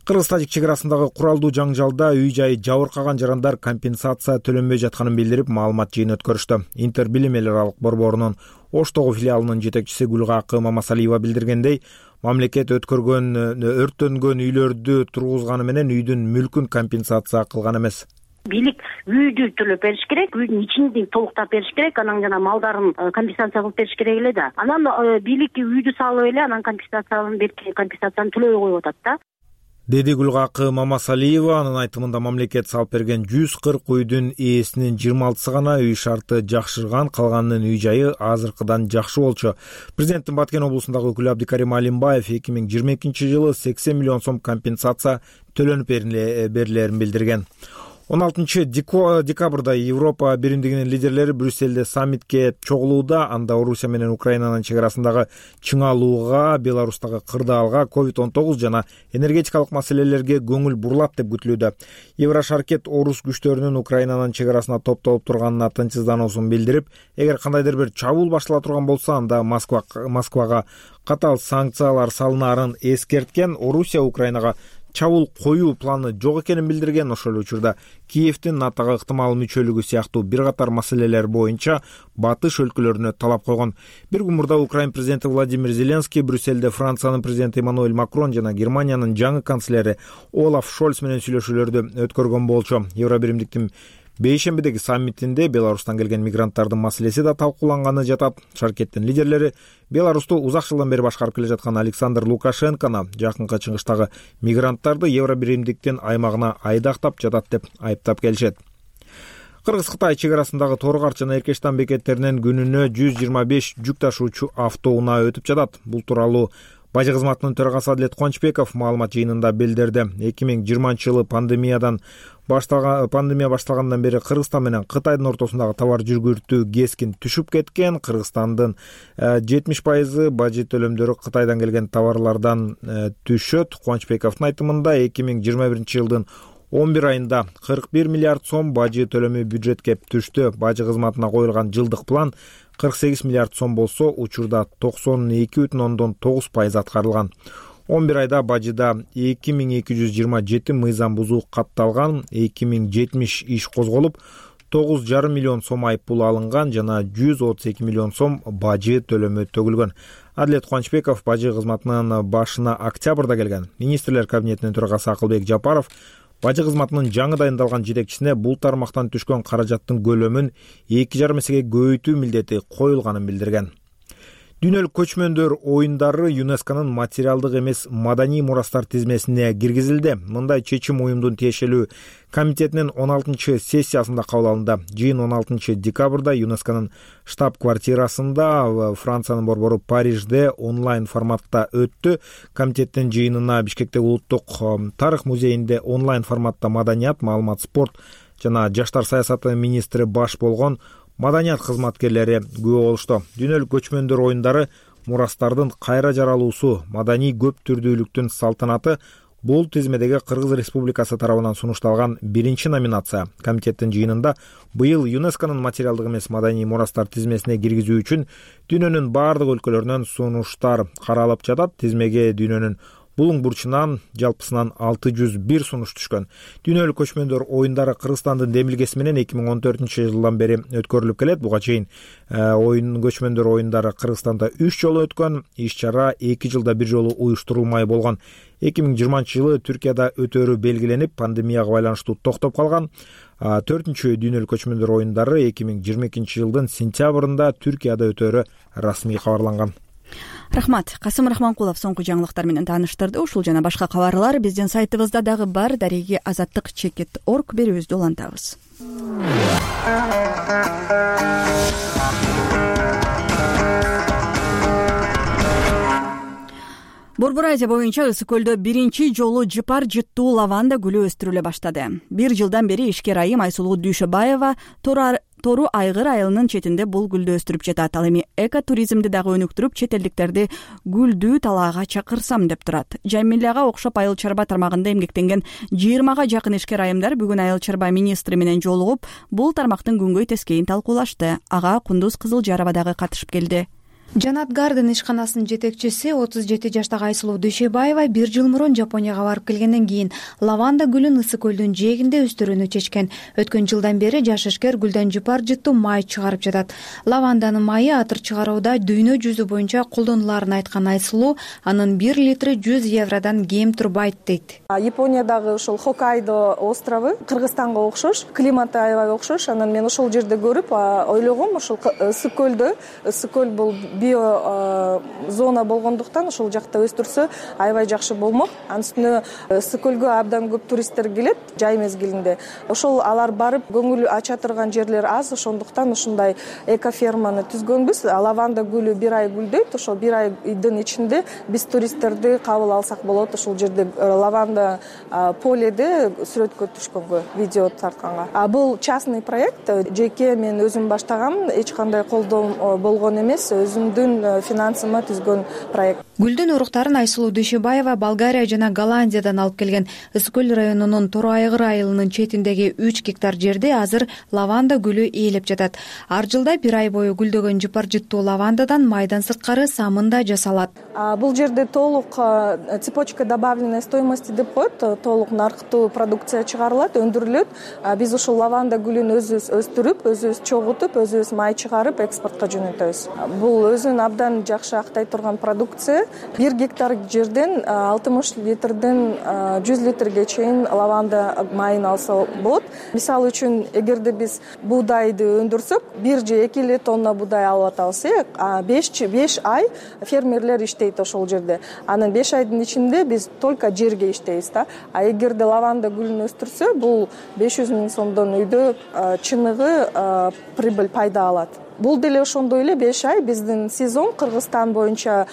Кыргыз-тажик чек арасындагы куралдуу жаңжалда үй-жайы жабыркаган жарандар компенсация төлөнбөй жатканын билдирип, маалымат жыйын өткөрүштү. Интербилим эл аралык борборунун Оштогу филиалынын жетекчиси Гүлгакы Мамасалиева билдиргендей, мамлекет өрттөнгөн үйлөрдү тургузганы менен үйдүн мүлкүн компенсация кылган эмес. Бийлик үйдү төлөп бериш керек, үйдүн ичинди толуктап бериш керек, анан жана малдарын компенсация кылып бериш керек эле да. Анан бийлик үйдү салып эле, анан компенсацияны төлөбөй коюп атат да. Деди Гүлгакы Мамасалиева. Анын айтымында мамлекет салып берген 140 үйдүн ээсинин 26сы гана үй шарты жакшырган, калганынын үй жайы азыркыдан жакшы болчу. Президенттин Баткен облусундагы өкүлү Абдикарим Алимбаев 2022-жылы 80 миллион сом компенсация төлөнүп берилерин билдирген. 16 декабрда Европа биримдигинин лидерлери Брюсселде саммитке чогулууда. Анда Орусия менен Украинанын чек арасындагы чыңалууга, Беларустагы кырдаалга, COVID-19 жана энергетикалык маселелерге көңүл бурулат деп күтүлүүдө. Еврошаркет орус күчтөрүнүн Украинанын чек арасына топтолуп турганына тынчсыздануусун билдирип, эгер кандайдыр бир чабуул баштала турган болсо, анда Москвага катаал санкциялар салынаарын эскерткен. Орусия Украинага чабуул коюу планы жок экенин билдирген. Ошол учурда Киевдин НАТОго ыктымал мүчөлүгү сыяктуу бир катар маселелер боюнча батыш өлкөлөрүнө талап койгон. Бир күн мурда Украин президенти Владимир Зеленский Брюсселде Франциянын президенти Эммануэль Макрон жана Германиянын жаңы канцлери Олаф Шольц менен сүйлөшүүлөрдү өткөргөн болчу. Евробиримдиктин бейшембидеги саммитинде Беларустан келген мигранттардын маселеси да талкууланганы жатат. Шаркеттин лидерлери Беларусту узак жылдан бери башкарып келе жаткан Александр Лукашенкону жакынкы чыгыштагы мигранттарды Евробиримдиктин аймагына айдактап жатат деп айыптап келишет. Кыргыз-Кытай чек арасындагы Торгар жана Эркештан бекеттеринен күнүнө 125 жүк ташуучу автоунаа өтүп жатат. Бул тууралуу Бажы кызматынын төрагасы Адлет Кончбеков маалымат жыйынында билдирди. 2020-жылы пандемия башталгандан бери Кыргызстан менен Кытайдын ортосундагы товар жүргүртүү кескин түшүп кеткен. Кыргызстандын 70% бажы төлөмдөрү Кытайдан келген товарлардан түшөт. Кончбековдун айтымында 2021-жылдын 11 айында 41 миллиард сом бажы төлөмү бюджетке түштү. Бажы кызматына коюлган жылдык план 48 миллиард сом болсо, учурда 92,9% аткарылган. 11 айда бажыда 2227 мыйзам бузуу катталган, 2070 иш козголуп, 9,5 миллион сом айыппул алынган жана 132 миллион сом бажы төлөмү төгүлгөн. Адлет Кончбеков бажы кызматынын башына октябрда келген. Министрлер кабинетинин төрагасы Акылбек Жапаров бажы кызматынын жаңы дайындалган жетекчисине бул тармактан түшкөн каражаттын көлөмүн 2,5 эсеге көбөйтүү милдети коюлганын билдирген. Дүйнөлүк көчмөндөр оюндары ЮНЕСКОнун материалдык эмес маданий мурастар тизмесине киргизилди. Мындай чечим уюмдун тиешелүү комитетинин 16-сессиясында кабыл алынды. Жыйын 16-декабрда ЮНЕСКОнун штаб-квартирасында Франциянын борбору Парижде онлайн форматта өттү. Комитеттин жыйынына Бишкектеги улуттук тарых музейинде онлайн форматта маданият, маалымат, спорт жана жаштар саясаты министри баш болгон маданият кызматкерлери күбө болушту. Дүйнөлүк көчмөндөр оюндары мурастардын кайра жаралуусу, маданий көп түрдүүлүктүн салтанаты бул тизмедеги Кыргыз Республикасы тарабынан сунушталган биринчи номинация. Комитеттин жыйынында быйыл ЮНЕСКОнун материалдык эмес маданий мурастар тизмесине киргизүү үчүн дүйнөнүн бардык өлкөлөрүнөн сунуштар каралып жатат. Тизмеге дүйнөнүн булуң бурчунан жалпысынан 601 сунуш түшкөн. Дүйнөлүк көчмөндөр оюндары Кыргызстандын демилгеси менен 2014-жылдан бери өткөрүлүп келет. Буга чейин көчмөндөр оюндары Кыргызстанда 3 жолу өткөн. Иш-чара 2 жылда бир жолу уюштурулмай болгон. 2020-жылы Түркияда өтөрү белгиленип, пандемияга байланыштуу токтоп калган. 4-чү дүйнөлүк көчмөндөр оюндары 2022-жылдын сентябрында Түркияда өтөрү расмий кабарланган. Рахмат. Касым Рахманкулов соңку жаңылыктар менен тааныштырды. Ушул жана башка кабарлар биздин сайтыбызда дагы бар. Дареги azаттык.org берүүбүздү улантабыз. Борбор Азия боюнча Ысык көлдө биринчи жолу жыпар жыттуу лаванда гүлү өстүрүлө баштады. Бир жылдан бери ишкер айым Айсулуу Дүйшөбаева Тору Айгыр айылынын четинде бул гүлдү өстүрүп жатат. Ал эми экотуризмди дагы өнүктүрүп, чет элдиктерди гүлдүү талаага чакырсам деп турат. Жамиляга окшоп айыл чарба тармагында эмгектенген 20га жакын ишкер айымдар бүгүн айыл чарба министри менен жолугуп, бул тармактын күнгөй тескейин талкуулашты. Ага Кундуз Кызылжарова дагы катышып келди. Жанат Гарден ишканасынын жетекчиси 37 жаштагы Айсулуу Дүйшөбаева 1 жыл мурун Жапонияга барып келгенден кийин лаванда гүлүн Ысык көлдүн жээгинде өстүрүүнү чечкен. Өткөн жылдан бери жаш ишкер гүлдөн жыпар жыттуу май чыгарып жатат. Лаванданын майы атыр чыгарууда дүйнө жүзү боюнча колдонуларын айткан Айсулуу, анын 1 литри 100 евродан кем турбайт дейт. Япониядагы ушул Хоккайдо острову Кыргызстанга окшош, климаты аябай окшош. Анан мен ошол жерде көрүп ойлогом, ушул Ысык көлдө, Ысык көл бул био зона болгондуктан ошол жакта өстүрсө аябай жакшы болмок. Анын үстүнө Ысык көлгө абдан көп туристтер келет жай мезгилинде. Ошол алар барып көңүл ача турган жерлер аз, ошондуктан ушундай экоферманы түзгөнбүз. Лаванда гүлү 1 ай гүлдөйт. Ошол 1 айдын ичинде биз туристтерди кабыл алсак болот. Ошол жерде лаванда поледе сүрөткө түшкөнгө, видео тартканга. Бул частный проект, жеке мен өзүм баштагам, эч кандай колдоо болгон эмес, өзүмдүн финансыма түзгөн проект. Гүлдүн уруктарын Айсулуу Дүйшөбаева Болгария жана Голландиядан алып келген. Ысык көл районунун Тору Айгыр айылынын четиндеги 3 гектар жерде азыр лаванда гүлү ээлеп жатат. Ар жылда 1 ай бою гүлдөгөн жыпар жыттуу лавандадан майдан сырткары самын да жасалат. Бул жерде толук цепочка добавленной стоимости деп коет, толук наркытуу продукция чыгарылат, өндүрүлөт. Биз ушул лаванда гүлүн өзүбүз өстүрүп, өзүбүз чогултуп, өзүбүз май чыгарып экспортко жөнөтөбүз. Бул өзүн абдан жакшы актай турган продукция. 1 гектар жерден 60 литрден 100 литрге чейин лаванда майын алса болот. Мисалы үчүн, эгерде биз буудайды өндүрсөк, 1 же 2 эле тонна буудай алып атабыз, 5 ай фермерлер иштейт ошол жерде. Анан 5 айдын ичинде биз только жерге иштейбиз да. А эгерде лаванда гүлүн өстүрсө, бул 500 000 сомдон үйдө чыныгы прибыль пайда алат. Бул деле ошондой эле 5 ай биздин сезон Кыргызстан боюнча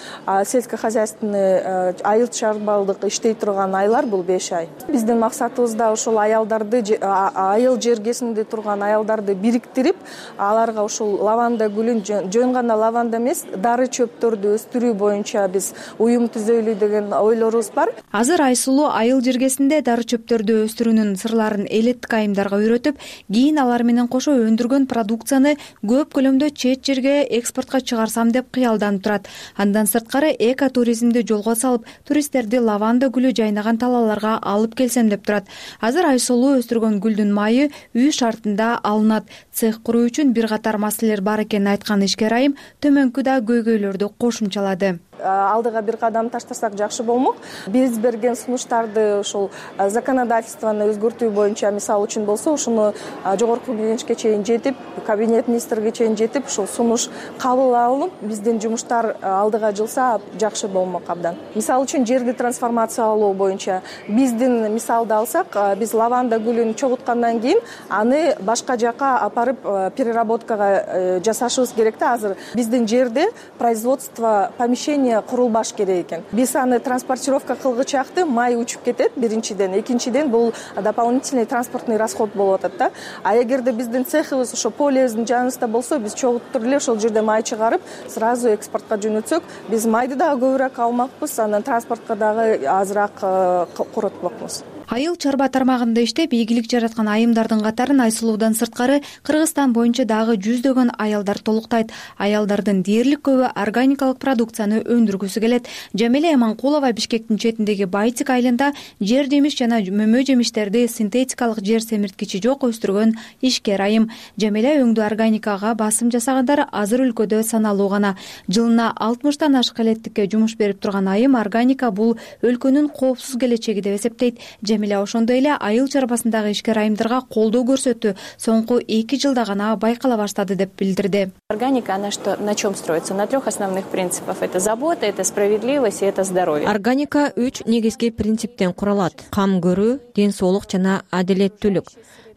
сельскохозяйственный айыл чарбалык иштей турган айлар бул 5 ай. Биздин максатыбыз да ошол аялдарды, айыл жергесинде турган аялдарды бириктирип, аларга ушул лаванда гүлүн жөн гана лаванда эмес, дары чөптөрдү өстүрүү боюнча биз уюм түзөлү деген ойлорубуз бар. Азыр Айсулуу айыл жергесинде дары чөптөрдү өстүрүүнүн сырларын элеттик айымдарга үйрөтүп, кийин алар менен кошо өндүргөн продукцияны көп көлөмдө чет жерге экспортко чыгарсам деп кыялданып турат. Андан сырткары экотуризмди жолго салып, туристтерди лаванда гүлү жайнаган талааларга алып келсем деп турат. Азыр Айсулуу өстүргөн гүлдүн майы үй шартында алынат. Цех куруу үчүн бир катар маселелер бар экенин айткан ишкер айым төмөнкү да көйгөйлөрдү кошумчалады. Алдыга бир кадам таштасак жакшы болмок. Биз берген сунуштарды ошол законодательствону өзгөртүү боюнча, мисалы үчүн болсо, ушуну жогорку кеңешке чейин жетип, кабинет министрге чейин жетип, ушул сунуш кабыл алынып, биздин жумуштар алдыга жылса жакшы болмок абдан. Мисалы үчүн жерди трансформациялоо боюнча биздин мисалды алсак, биз лаванда гүлүн чогуткандан кийин аны башка жака апарып переработкага жасашыбыз керек да. Азыр биздин жерде производство помещения курулбаш керек экен. Биз аны транспортировка кылгычакты май учуп кетет биринчиден, экинчиден бул дополнительный транспортный расход болуп атат да. А эгерде биздин цехыбыз ошо полебиздин жаныбызда болсо, биз чогуттур эле ошол жерде май чыгарып, сразу экспортко жөнөтсөк, биз майды дагы көбүрөөк алмакпыз, анан транспортко дагы азыраак коротпокмуз. Айыл чарба тармагында иштеп, ийгилик жараткан айымдардын катарын Айсулуудан сырткары Кыргызстан боюнча дагы жүздөгөн аялдар толуктайт. Аялдардын дээрлик көбү органикалык продукцияны өндүргүсү келет. Жамиля Эманкулова Бишкектин четиндеги Байтик айылында жер жемиш жана мөмө жемиштерди синтетикалык жер семирткичи жок өстүргөн ишкер айым. Жамиля өңдүү органикага басым жасагандар азыр өлкөдө саналуу гана. Жылына 60тан ашык элеттикке жумуш берип турган айым органика бул өлкөнүн коопсуз келечеги деп эсептейт. Жамиля ошондой эле айыл чарбасындагы ишкер айымдарга колдоо көрсөтүү соңку 2 жылда гана байкала баштады деп билдирди. Органика, она на чем строится? На 3 основных принципах. Это забота, это справедливость и это здоровье. Органика 3 негизги принциптен куралат. Кам көрүү, ден соолук жана адилеттүүлүк.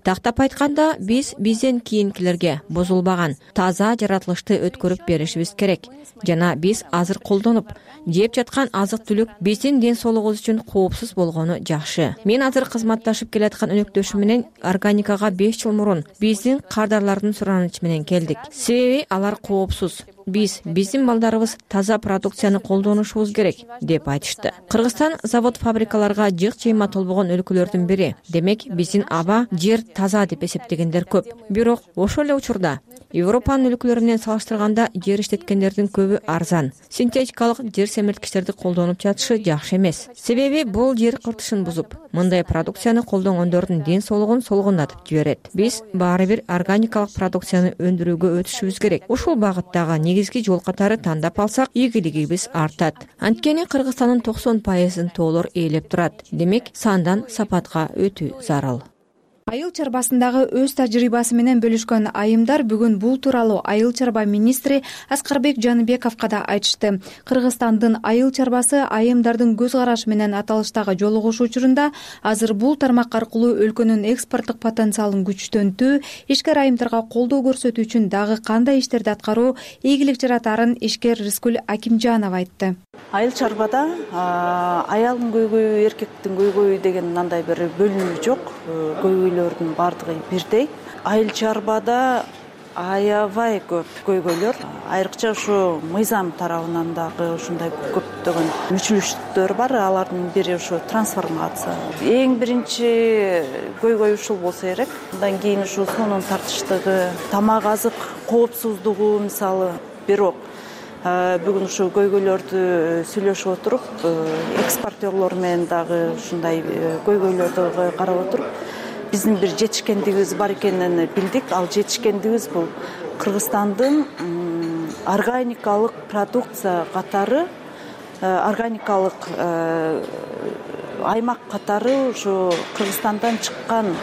Тактап айтканда, бизден кийинкилерге бузулбаган таза жаратылышты өткөрүп беришибиз керек. Жана биз азыр колдонуп, жеп жаткан азык-түлүк биздин ден соолугубуз үчүн коопсуз болгону жакшы. Мен азыр кызматташып келаткан өнөктөшүм менен органикага 5 жыл мурун биздин кардарлардын суранычы менен келдик. Себеби алар коопсуз. Биздин балдарыбыз таза продукцияны колдонушубуз керек деп айтышты. Кыргызстан завод-фабрикаларга жык жыйма толбогон өлкөлөрдүн бири. Демек, биздин аба, жер таза деп эсептегендер көп. Бирок ошол эле учурда Европанын өлкөлөрү менен салыштырганда жер иштеткендердин көбү арзан. Синтетикалык жер семирткичтерди колдонуп жатышы жакшы эмес. Себеби бул жер кыртышын бузуп, мындай продукцияны колдонгондордун ден соолугун солгундатып жиберет. Биз баары бир органикалык продукцияны өндүрүүгө өтүшүбүз керек. Ушул багыттагы негизги жол катары тандап алсак, ийгилигибиз артат. Анткени Кыргызстандын 90% тоолор ээлеп турат. Демек, сандан сапатка өтүү зарыл. Айыл чарбасындагы өз тажрыйбасы менен бөлүшкөн айымдар бүгүн бул тууралуу айыл чарба министри Аскарбек Жаныбековго да айтышты. Кыргызстандын айыл чарбасы айымдардын көз карашы менен аталыштагы жолугушуу учурунда азыр бул тармак аркылуу өлкөнүн экспорттук потенциалын күчтөнтүү, ишкер айымдарга колдоо көрсөтүү үчүн дагы кандай иштерди аткаруу ийгилик жаратарын ишкер Рыскүл Акимжанова айтты. Айыл чарбада аялдын көйгөйү, эркектин көйгөйү деген мындай бир бөлүнүү жок. Көйгөйлөрдүн баардыгы бирдей. Айыл чарбада аябай көп көйгөйлөр. Айрыкча ушу мыйзам тарабынан дагы ушундай көптөгөн мүчүлүштүктөр бар. Алардын бири ушу трансформация. Эң биринчи көйгөй ушул болсо керек. Андан кийин ушу суунун тартыштыгы, тамак азык коопсуздугу мисалы. Бирок бүгүн ушу көйгөйлөрдү сүйлөшүп отуруп, экспортерлор менен дагы ушундай көйгөйлөрдү карап отуруп, биздин бир жетишкендигибиз бар экенин билдик. Ал жетишкендигибиз бул Кыргызстандын органикалык продукция катары, органикалык аймак катары ушу Кыргызстандан чыккан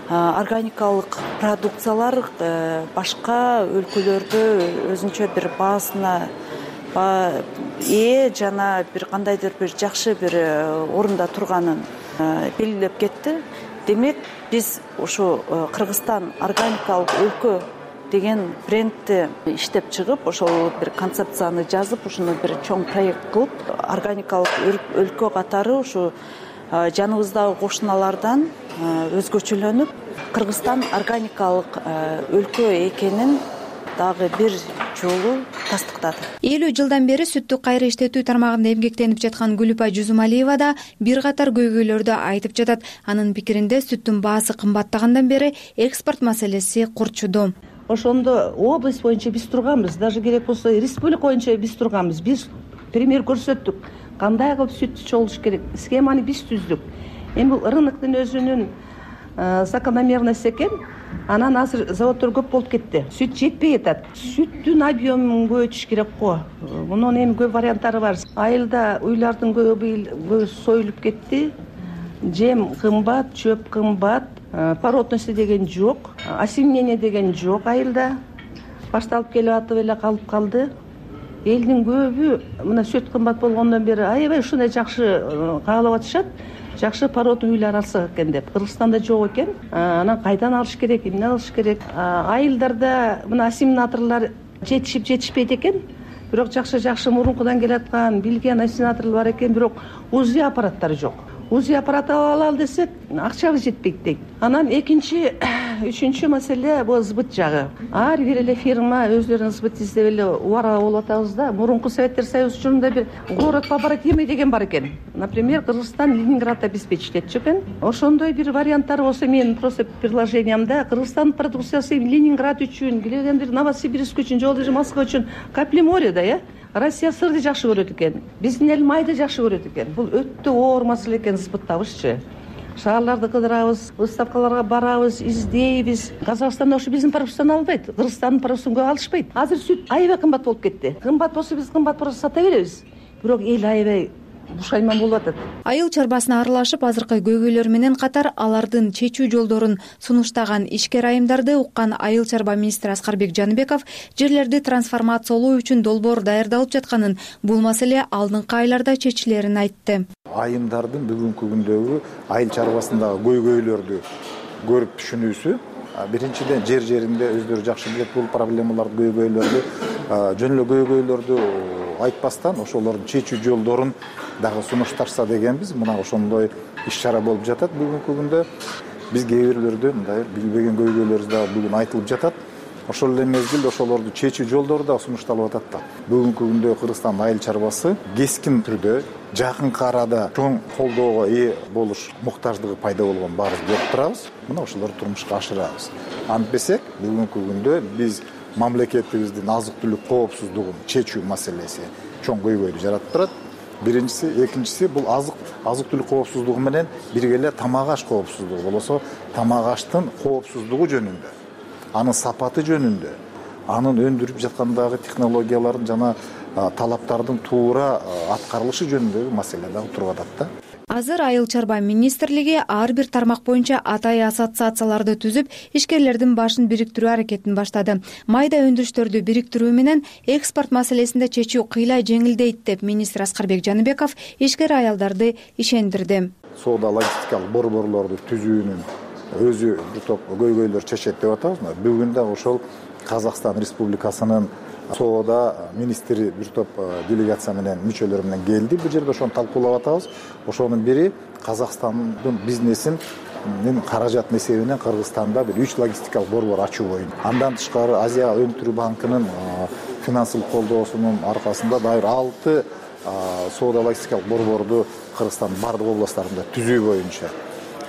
органикалык продукциялар башка өлкөлөрдө өзүнчө бир баасына ээ жана бир кандайдыр бир жакшы бир орунда турганын белгилеп кетти. Демек биз ушу Кыргызстан органикалык өлкө деген брендти иштеп чыгып, ошол бир концепцияны жазып, ушуну бир чоң проект кылып, органикалык өлкө катары ушу жаныбыздагы кошуналардан өзгөчөлөнүп, Кыргызстан органикалык өлкө экенин дагы бир жолу тастыктады. 50 жылдан бери сүттү кайра иштетүү тармагында эмгектенип жаткан Гүлүпай Жузумалиева да бир катар көйгөйлөрдү айтып жатат. Анын пикиринде сүттүн баасы кымбаттагандан бери экспорт маселеси курчуду. Ошондо область боюнча биз турганбыз, даже керек болсо республика боюнча биз турганбыз. Биз пример көрсөттүк. Кандай кылып сүт чогулуш керек, схеманы биз түздүк. Эми бул рыноктун өзүнүн закономерности экен. Анан азыр заводдор көп болуп кетти. Сүт жетпей атат. Сүттүн объемун көбөйтүш керек го. Мунун эми көп варианттары бар. Айылда уйлардын көбү союлуп кетти. Жем кымбат, чөп кымбат, породности деген жок, осеменение деген жок айылда. Башталып келип атып эле калып калды. Элдин көбү мына сүт кымбат болгондон бери аябай ушундай жакшы каалап атышат. Жакшы породный уйлар алсак экен деп. Кыргызстанда жок экен. Анан кайдан алыш керек, эмне алыш керек? Айылдарда мына ассимиляторлор жетишпейт экен. Бирок жакшы мурункудан келаткан билген ассимиляторлор бар экен, бирок УЗИ аппараттары жок. УЗИ аппарат алалы десек, акчабыз жетпейт дейт. Анан экинчи, үчүнчү маселе бул сбыт жагы. Ар бир эле фирма өзлөрүнүн сбыт издеп эле убара болуп атабыз да. Мурунку Советтер Союзу учурунда бир город побратимый деген бар экен. Например, Кыргызстан Ленинград обеспечить экен. Ошондой бир варианттар болсо, мен просто предложениямда Кыргызстан продукциясы Ленинград үчүн, билген бир Новосибирск үчүн, же Москва үчүн капли море да, Россия сырды жакшы көрөт экен. Биздин эл майды жакшы көрөт экен. Бул өтө оор маселе экен сбыттабызчы. Шаарларды кыдырабыз, выставкаларга барабыз, издейбиз. Казакстанда ушу биздин продукцияны албайт. Кыргызстандын продукциясын көп алышпайт. Азыр сүт аябай кымбат болуп кетти. Кымбат болсо биз кымбат просто сата беребиз. Бирок эл аябай бушайман болуп атат. Айыл чарбасына аралашып, азыркы көйгөйлөр менен катар алардын чечүү жолдорун сунуштаган ишкер айымдарды уккан Айыл чарба министри Аскарбек Жаныбеков жерлерди трансформациялоо үчүн долбоор даярдалып жатканын, бул маселе алдыңкы айларда чечилерин айтты. Айымдардын бүгүнкү күндөгү айыл чарбасындагы көйгөйлөрдү көрүп түшүнүүсү, биринчиден жеринде өздөрү жакшы билет бул проблемаларды, көйгөйлөрдү, жөн эле көйгөйлөрдү айтпастан ошолордун чечүү жолдорун дагы сунуштарса дегенбиз. Мына ошондой иш-чара болуп жатат бүгүнкү күндө. Биз кээ бирлерден мындай билбеген көйгөйлөрүбүз дагы бүгүн айтылып жатат. Ошол эле мезгилде ошолорду чечүү жолдору дагы сунушталып атат да. Бүгүнкү күндө Кыргызстан айыл чарбасы кескин түрдө жакынкы арада чоң колдоого ээ болуш муктаждыгы пайда болгон баарыбыз көрүп турабыз. Мына ошолорду турмушка ашырабыз. Антпесек, бүгүнкү күндө биз мамлекетибиздин азык-түлүк коопсуздугун чечүү маселеси чоң көйгөйдү жаратып турат. Биринчиси, экинчиси бул азык-түлүк коопсуздугу менен бирге эле тамак аш коопсуздугу болосо, тамак аштын коопсуздугу жөнүндө, анын сапаты жөнүндө, анын өндүрүп жаткандагы технологиялардын жана талаптардын туура аткарылышы жөнүндөгү маселе дагы туруп атат да. Азыр Айыл чарба министрлиги ар бир тармак боюнча атай ассоциацияларды түзүп, ишкерлердин башын бириктирүү аракетин баштады. Майда өндүрүштөрдү бириктирүү менен экспорт маселесинде чечүү кыйла жеңилдейт деп министр Аскарбек Жаныбеков ишкер аялдарды ишендирди. Соода логистикалык борборлорду түзүүнүн өзү бир топ көйгөйлөр чечет деп атабыз. Бүгүн да ошол Казакстан Республикасынын соода министри бир топ делегация менен мүчөлөр менен келди. Бул жерде ошону талкуулап атабыз. Ошонун бири Казакстандын бизнесин каражат эсебинен Кыргызстанда бир 3 логистикалык борбор ачуу боюнча. Андан тышкары Азия өнтүрүү банкынын финансылык колдоосунун аркасында дайыр 6 соода логистикалык борборду Кыргызстандын бардык областтарында түзүү боюнча.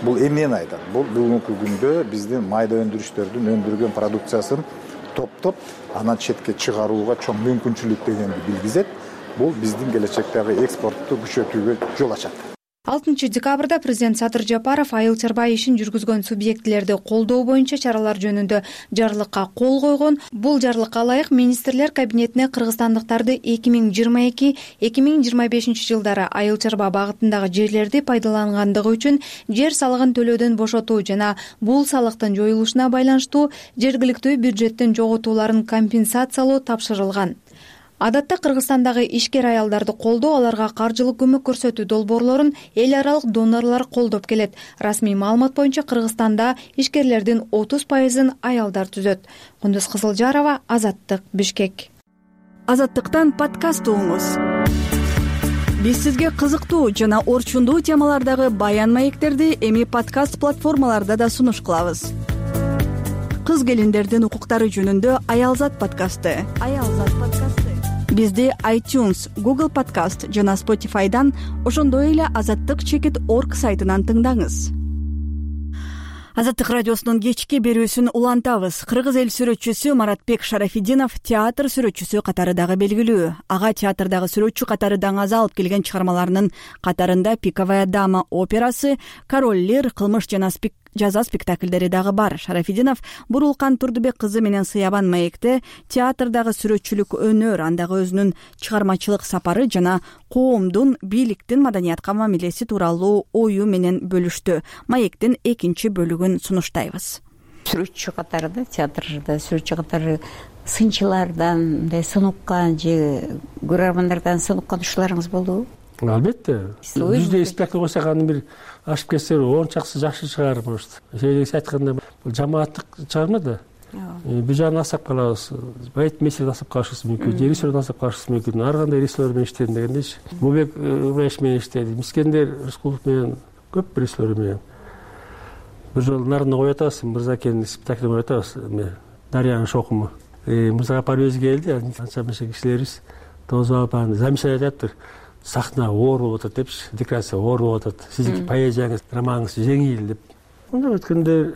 Бул эмнени айтат? Бул бүгүнкү күндө биздин майда өндүрүштөрдүн өндүргөн продукциясын топтоп анан четке чыгарууга чоң мүмкүнчүлүк дегенди билгизет. Бул биздин келечектеги экспортту күчөтүүгө жол ачат. 6 декабрда президент Садыр Жапаров айыл чарба ишин жүргүзгөн субъектилерди колдоо боюнча чаралар жөнүндө жарлыкка кол койгон. Бул жарлыкка ылайык министрлер кабинетине кыргызстандыктарды 2022-2025 жылдары айыл чарба багытындагы жерлерди пайдалангандыгы үчүн жер салыгын төлөөдөн бошотуу жана бул салыктын жоюлушуна байланыштуу жергиликтүү бюджеттин жоготууларын компенсациялоо тапшырылган. Адатта Кыргызстандагы ишкер аялдарды колдоо, аларга каржылык көмөк көрсөтүү долбоорлорун эл аралык донорлор колдоп келет. Расмий маалымат боюнча Кыргызстанда ишкерлердин 30% аялдар түзөт. Кундуз Кызылжарова, Азаттык, Бишкек. Азаттыктан подкаст угуңуз. Биз сизге кызыктуу жана орчундуу темалардагы баян маектерди эми подкаст платформаларда да сунуш кылабыз. Кыз келиндердин укуктары жөнүндө Аялзат подкасты. Бизди iTunes, Google Podcast жана Spotify'дан, ошондой эле azattik.org сайтынан тыңдаңыз. Азаттык радиосунун кечки берүүсүн улантабыз. Кыргыз эл сүрөтчүсү Маратбек Шарафиддинов театр сүрөтчүсү катары дагы белгилүү. Ага театрдагы сүрөтчү катары даңаза алып келген чыгармаларынын катарында «Пиковая дама» операсы, «Король Лир», «Кылмыш жана жаза» спектакльдери дагы бар. Шарафиддинов Бурулкан Турдубек кызы менен Сыябан маекте театрдагы сүрөтчүлүк өнөр, андагы өзүнүн чыгармачылык сапары жана коомдун, бийликтин маданиятка мамилеси тууралуу ою менен бөлүштү. Маектин 2 бөлүгүн сунуштайбыз. Сүрөтчү катары да, театрда сүрөтчү катары сынчылардан, мындай сунуккан же көрөрмандардан сунуккан ушуларыңыз болдубу? Албетте. Жүздөй спектакль койсок анын бир ашып кетсе 10 чаксы жакшы чыгар, может. Сөйлөгүс айтканда бул жамааттык чыгарма да. Бул жагын асап калабыз. Байт месел асап калышыбыз мүмкүн, режиссер асап калышыбыз мүмкүн. Ар кандай режиссер менен иштедим дегендейчи. Мубек Ыбраиш менен иштеди. Мискендер Рыскулов менен көп режиссер менен. Бир жолу Нарын коюп атабыз, Мырзакенин спектаклин коюп атабыз. Дарьянын шокуму. Мырзагапар өзү келди, анча мынча кишилерибиз тозуп алып замечание айтаптыр. Сахна оор болуп атат депчи, декорация оор болуп атат. Сиздин поэзияңыз, романыңыз жеңил деп. Мындай өткөндө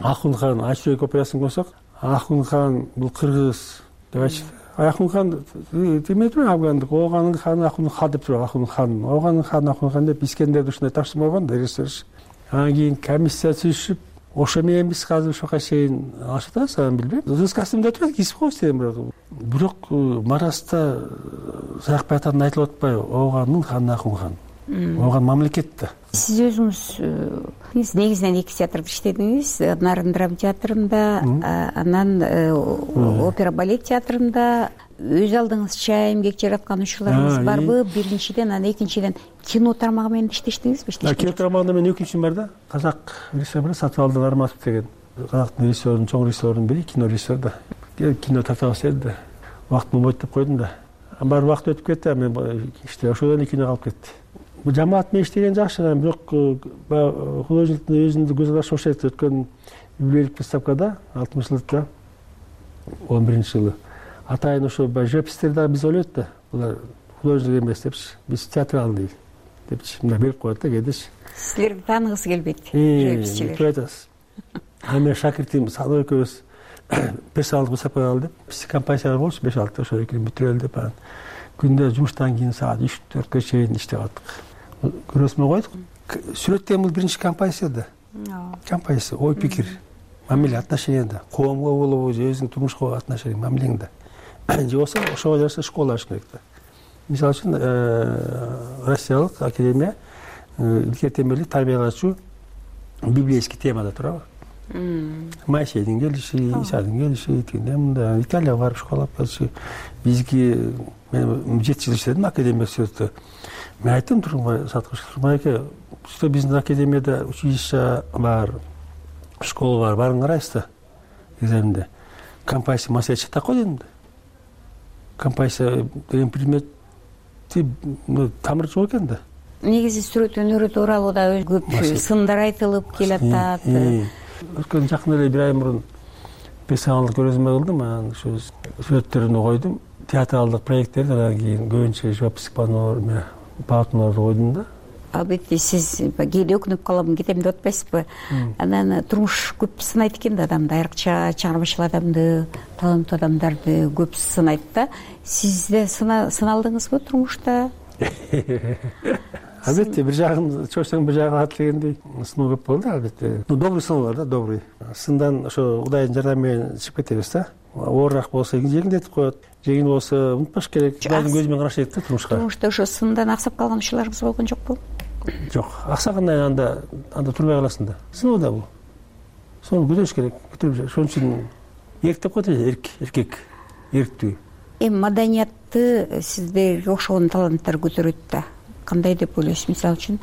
Ахун хан Ачуек операсын койсок, Ахун хан бул кыргыз деп айтчу. Ахун хан демейт ме афгандык, оганын ханы Ахун хан деп туруп, Ахун хан, оганын ханы Ахун хан деп Искендерди ушундай тапшырма болгон да режиссер. Анан кийин комиссия түзүшүп, ошо менен биз азыр ушуга чейин алышып атабыз, анан билбейм. Костюм деп атат, кийип коебуз дедим. Бирок Мараста Саякбай атадан айтылып атпайбы? Оганын ханы Ахун хан. Оган мамлекет да. Сиз өзүңүз негизинен 2 театрда иштедиңиз. Нарын драма театрында, анан опера балет театрында. Өз алдыңызча эмгек жараткан ушуларыңыз барбы? Биринчиден, анан экинчиден кино тармагы менен иштештиңизби? Кино тармагында мен өкүнчүм бар да. Казак режиссер Сатыбалдын Арматов деген. Казактын режиссерунун, чоң режиссерунун бири кино режиссер да. Кино тартабыз деди да. Убакыт болбойт деп койдум да. Бар убакыт өтүп кетти, мен иште ошодон кино калып кетти. Бул жамаат менен иштеген жакшы, бирок художниктин өзүндү көз ачып ошентип өткөн юбилейлик выставкада 60-жылдыкта 11-жылы атайын ошо живописьтер дагы биз ойлойт да. Булар художник эмес депчи, биз театралдый депчи, мына берип коет да, кедеш. Силерди тааныгысы келбейт, живописчилер. Ами шакиртим Садыр экөөбүз персоналдык выставкага алды деп, биз композициялар болчу 5-6 ошо экөөбүз бүтүрөлү деп анан күндө жумуштан кийин саат 3-4гө чейин иштеп аттык. Көрөсүмө койдук. Сүрөт деген бул биринчи композиция да. Композиция, ой пикир, мамиле, отношенияда, коомго болобу, же өзүңүн турмушка отношение, мамилеңде. Же болсо ошого жараша школа ачыш керек да. Мисалы үчүн Россиялык академия илгери темелик тарбиялачу библейский темада турабы. Моисейдин келиши, Исадын келиши, мындай Италияга барып школа келиши. Бизги мен 7 жыл иштедим академия сүрөттө. Мен айттым Тургунбай Саткыш, Тургунбай что биздин академияда училище бар, школа бар, барын карайсыз да. Экзаменде композиция маселе чыкты го дедим да. Композиция деген предметти тамыры жок экен да. Негизи сүрөт өнөрү тууралуу да көп сындар айтылып келатат. Өткөн жакында эле 1 ай мурун персоналдык көрөзмө кылдым, анан ушу сүрөттөрүн койдум. Театралдык проекттерди, анан кийин көбүнчө живопись полотнолорду койдум да. Албетте сиз кээде өкүнүп калам, кетем деп атпайсызбы? Анан турмуш көп сынайт экен да адамды, айрыкча чыгармачыл адамды, таланттуу адамдарды көп сынайт да. Сиз да сыналдыңызбы турмушта? албетте бир жагын чочсоң бир жагын ат дегендей сыноо көп болду албетте. Добрый сыноо бар да, добрый. Сындан ошо Кудайдын жардамы менен чыгып кетебиз да. Оорураак болсо жеңилдетип коет, жеңил болсо унутпаш керек. Кудайдын көзү менен караш керек да турмушка. Турмушта ошо сындан аксап калган учурларыбыз болгон жокпу? Жок, аксагандай анда турбай каласың да. Сыноо да бул. Сону көтөрүш керек. Көтөрүп ошон үчүн эрктеп коет эркек, эрктүү. Эми маданиятты сиздерге окшогон таланттар көтөрөт да. Кандай деп ойлойсуз? Мисалы үчүн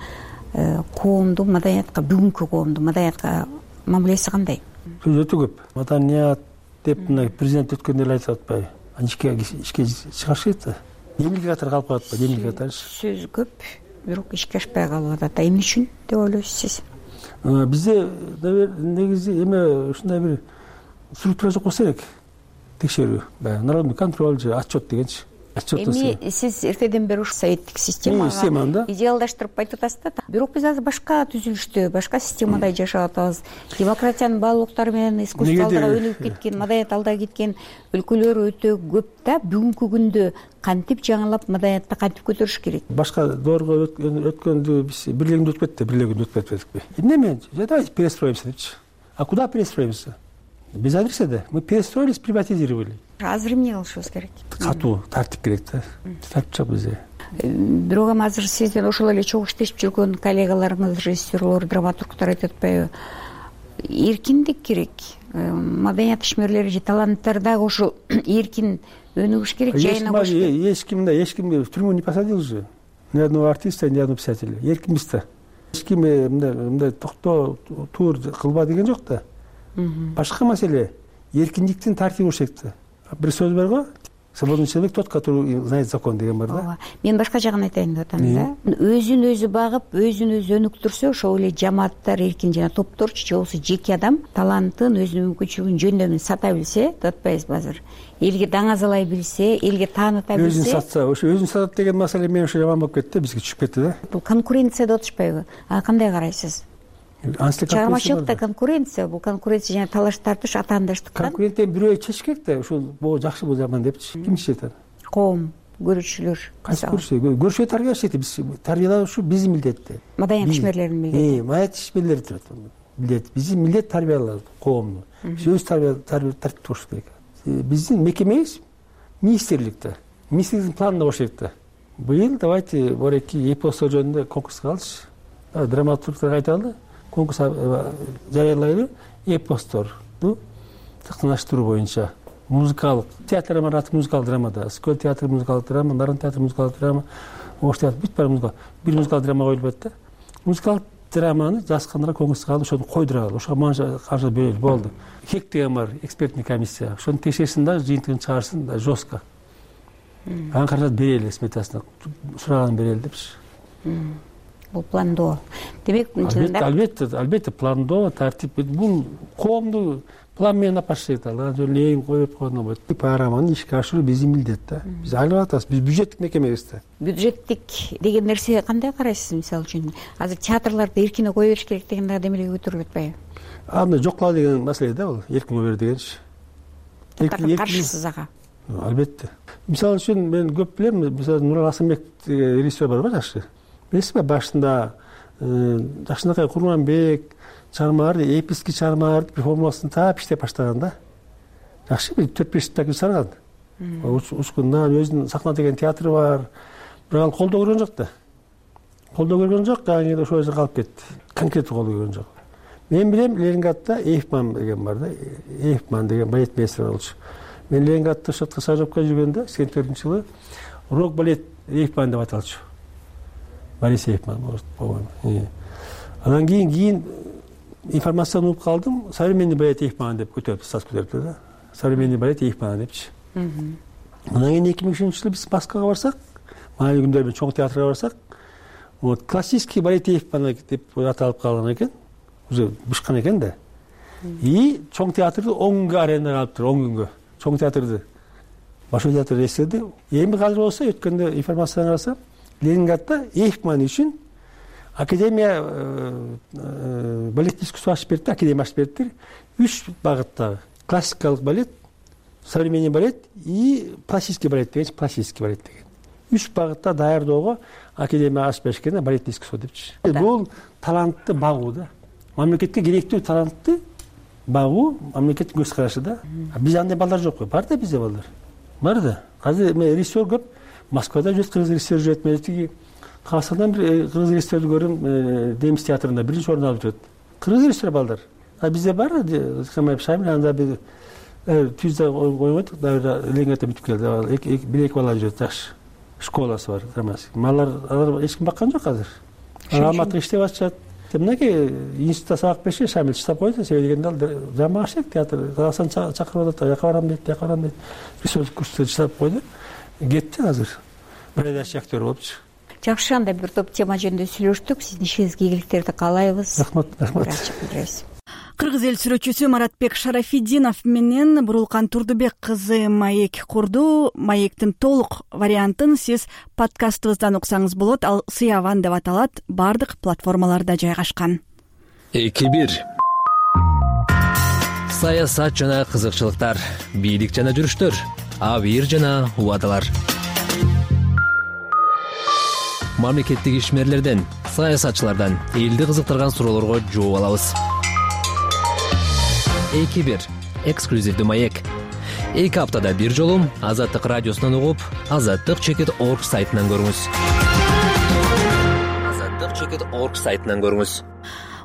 коомдун маданиятка, бүгүнкү коомдун маданиятка мамилеси кандай? Сөз өтө көп. Маданият деп мына президент өткөндө эле айтып атпайбы? Ишке чыгыш керек да. Эмнеге катары калып калат да, эмнеге катарчы? Сөз көп, бирок ишке ашпай калып атат. Эмне үчүн деп ойлойсуз сиз? Бизде негизи эме ушундай бир структура жок болсо керек. Текшерүү, народный контроль же отчет дегенчи. Эми сиз эртеден бери ушу советтик системага идеалдаштырып айтып атасыз да. Бирок биз азыр башка түзүлүштө, башка системада жашап атабыз. Демократиянын баалуулуктары менен искусстволорго өнүгүп кеткен, маданият алда кеткен өлкөлөр өтө көп да. Бүгүнкү күндө кантип жаңылап маданиятты кантип көтөрүш керек? Башка доорго өткөндү биз бирлегинде өтүп кетти, бирлегинде өтүп кетпедикпи? Эмне? Давайте перестроимся депчи. А куда перестроимся? Без адреса да. Мы перестроились, приватизировали. Азыр эмне кылышыбыз керек? Катуу тартип керек да. Тартип жок бизде. Бирок эми азыр сизден ошол эле чогуу иштешип жүргөн коллегаларыңыз, режиссерлор, драматургтар айтып атпайбы? Эркиндик керек. Маданият ишмерлери же таланттар дагы ошол эркин өнүгүш керек, жайына кош керек. Эч ким в тюрьму не посадил же. Ни одного артиста, ни одного писателя. Эркинбиз да. Эч ким мындай токтоо, тур кылба деген жок да. Башка маселе эркиндиктин тартиби болуш керек да. Бир сөз бар го, свободный человек тот, который знает закон деген бар да. Мен башка жагын айтайын деп атам да. Өзүн өзү багып, өзүн өзү өнүктүрсө, ошол эле жамааттар эркин жана топторчу же болбосо жеке адам талантын, өзүнүн мүмкүнчүлүгүн жөндөмүн сата билсе, деп атпайбызбы азыр? Элге даңазалай билсе, элге тааныта билсе. Өзүн сатса, ошо өзүн сатат деген маселе мен ошо жаман болуп кетти, бизге түшүп кетти да. Бул конкуренция деп атышпайбы? Кандай карайсыз? Чыгармачылыкта конкуренция, бул конкуренция жана талаш тартыш атаандаштыктан. Конкуренттен бирөө чечиш керек да, ушул бул жакшы, бул жаман депчи. Ким чечет аны? Коом, көрүүчүлөр. Кайсы көрүүчү тарбиялаш биз тарбиялоо ушу биздин милдет. Маданият ишмерлеринин милдети. Маданият ишмерлери турат. Милдет, биздин милдет тарбиялоо коомду. Өз тартип туруш керек. Биздин мекемебиз министрликте. Министрликтин планында болуш керек да. Быйыл давайте бореки эпостор жөнүндө конкурска алчы. Драматургтар айталы. Конкурс жарыялайлы, эпостторду сактаныштыруу боюнча музыкалык театр аты музыкалык драмада, Скөл театры музыкалык драма, Нарын театры музыкалык драма, Ош театры бүт баары музыкалык. Бир музыкалык драма коюлуп атат да. Музыкалык драманы жазгандар конкурска алып, ошону койдуралы, ошого манча каржы бөлүп болду. Хек деген бар, экспертный комиссия. Ошону текшерсин да, жыйынтыгын чыгарсын да, жестко. Анан каражат берели сметасына, сураганын берели депчи. Бул пландоо. Демек, албетте пландоо, тартип. Бул коомду план менен апаш керек да. Ленин коюп койгондон болот. Программаны ишке ашыруу биздин милдет да. Биз айлап атабыз. Биз бюджеттик мекемебиз да. Бюджеттик деген нерсе кандай карайсыз, мисалы үчүн? Азыр театрларды эркине кое бериш керек деген дагы демелге көтөрүлүп атпайбы? Аны жокла деген маселе да бул. Эркин кое бер дегенчи. Каршысыз ага. Албетте. Мисалы үчүн мен көп билем, мисалы Нурал Асанбек режиссер бар жакшы. Билесизби, башында Жакшынакай Курманбек чыгармаларды, эписки чыгармаларды бир формуласын таап иштеп баштаган да. Жакшы бир 4-5 жылда сарган. Учкундан өзүнүн сахна деген театры бар. Бирок ал колдоо көргөн жок да. Колдоо көргөн жок, аны ошол жерде калып кетти. Конкреттүү колдоо көргөн жок. Мен билем, Ленинградда Эйфман деген бар да. Эйфман деген балет мейстери болчу. Мен Ленинградда шотко стажировка жүргөндө 84-жылы рок балет Эйфман деп аталчу. Борис Эйфман, по-моему. Анан кийин информацияны угуп калдым. Современный балет Эйфман деп көтөрүп, статус көтөрүптү да. Современный балет Эйфман депчи. Анан кийин 2003-жылы биз Москвага барсак, маанилүү күндөр менен чоң театрга барсак, вот классический балет Эйфман деп аталып калган экен. Уже бышкан экен да. И чоң театрды 10 күнгө арендаға алып тур, 10 күнгө. Чоң театрды. Башкы театр эстеди. Эми казыр болсо өткөндө информацияны карасам, Ленинградда Эйфман үчүн академия балет искусство ачып берди, академия ачып берди. 3 багыттагы: классикалык балет, современный балет и классический балет деген, классический балет деген. 3 багытта даярдоого академия ачып беришкен да, балетный искусство депчи. Бул талантты багуу да. Мамлекетке керектүү талантты багуу мамлекеттин көз карашы да. Биз андай балдар жокпу? Бар да бизде балдар. Бар да. Азыр режиссер көп. Москвада жүрөт, кыргыз режиссер жүрөт. Мен тиги Казакстандан бир кыргыз режиссерди көрдүм, Немис театрында 1-чи орун алып жүрөт. Кыргыз режиссер балдар. Bizde var ya, Şamil anda bir tüzde oynadık, da Leningrad bitip geldi. Bir ek vallahi taş şkolası var, dramatik. Mallar hiç kim bakan yok hazır. Almatı işte başlayacak. Demek ki institutta sabah 5'e Şamil çıtap koydu. Söylediğinde drama aşık tiyatro. Hasan çakırmadı, yakaran dedi. Bir söz kursu çıtap koydu. Gitti hazır. Böyle de aktör olup çık. Жакшы, анда бир топ тема жөнүндө сүйлөштүк. Сиздин ишиңизге ийгиликтерди каалайбыз. Рахмат. Кыргыз эл сүрөтчүсү Маратбек Шарафиддинов менен Бурулкан Турдубек кызы маек курду. Маектин толук вариантын сиз подкастыбыздан уксаңыз болот. Ал Сыяван деп аталат. Бардык платформаларда жайгашкан. 2-1 саясат жана кызыкчылыктар, бийлик жана жүрүштөр, абийир жана убадалар. Мамлекеттик ишмерлерден, саясатчылардан элди кызыктырган суроолорго жооп алабыз. 2-1 эксклюзивдүү маек. 2 аптада бир жолу Азаттык радиосунан угуп, azattik.org сайтынан көрүңүз. azattik.org сайтынан көрүңүз.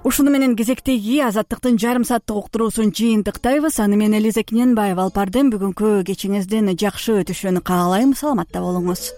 Ушуну менен кезектеги Азаттыктын жарым сааттык уктуруусун жыйынтыктайбыз. Аны мен Элиза Кененбаева алып бардым. Бүгүнкү кечиңиздин жакшы өтүшүн каалайм. Саламатта болуңуз.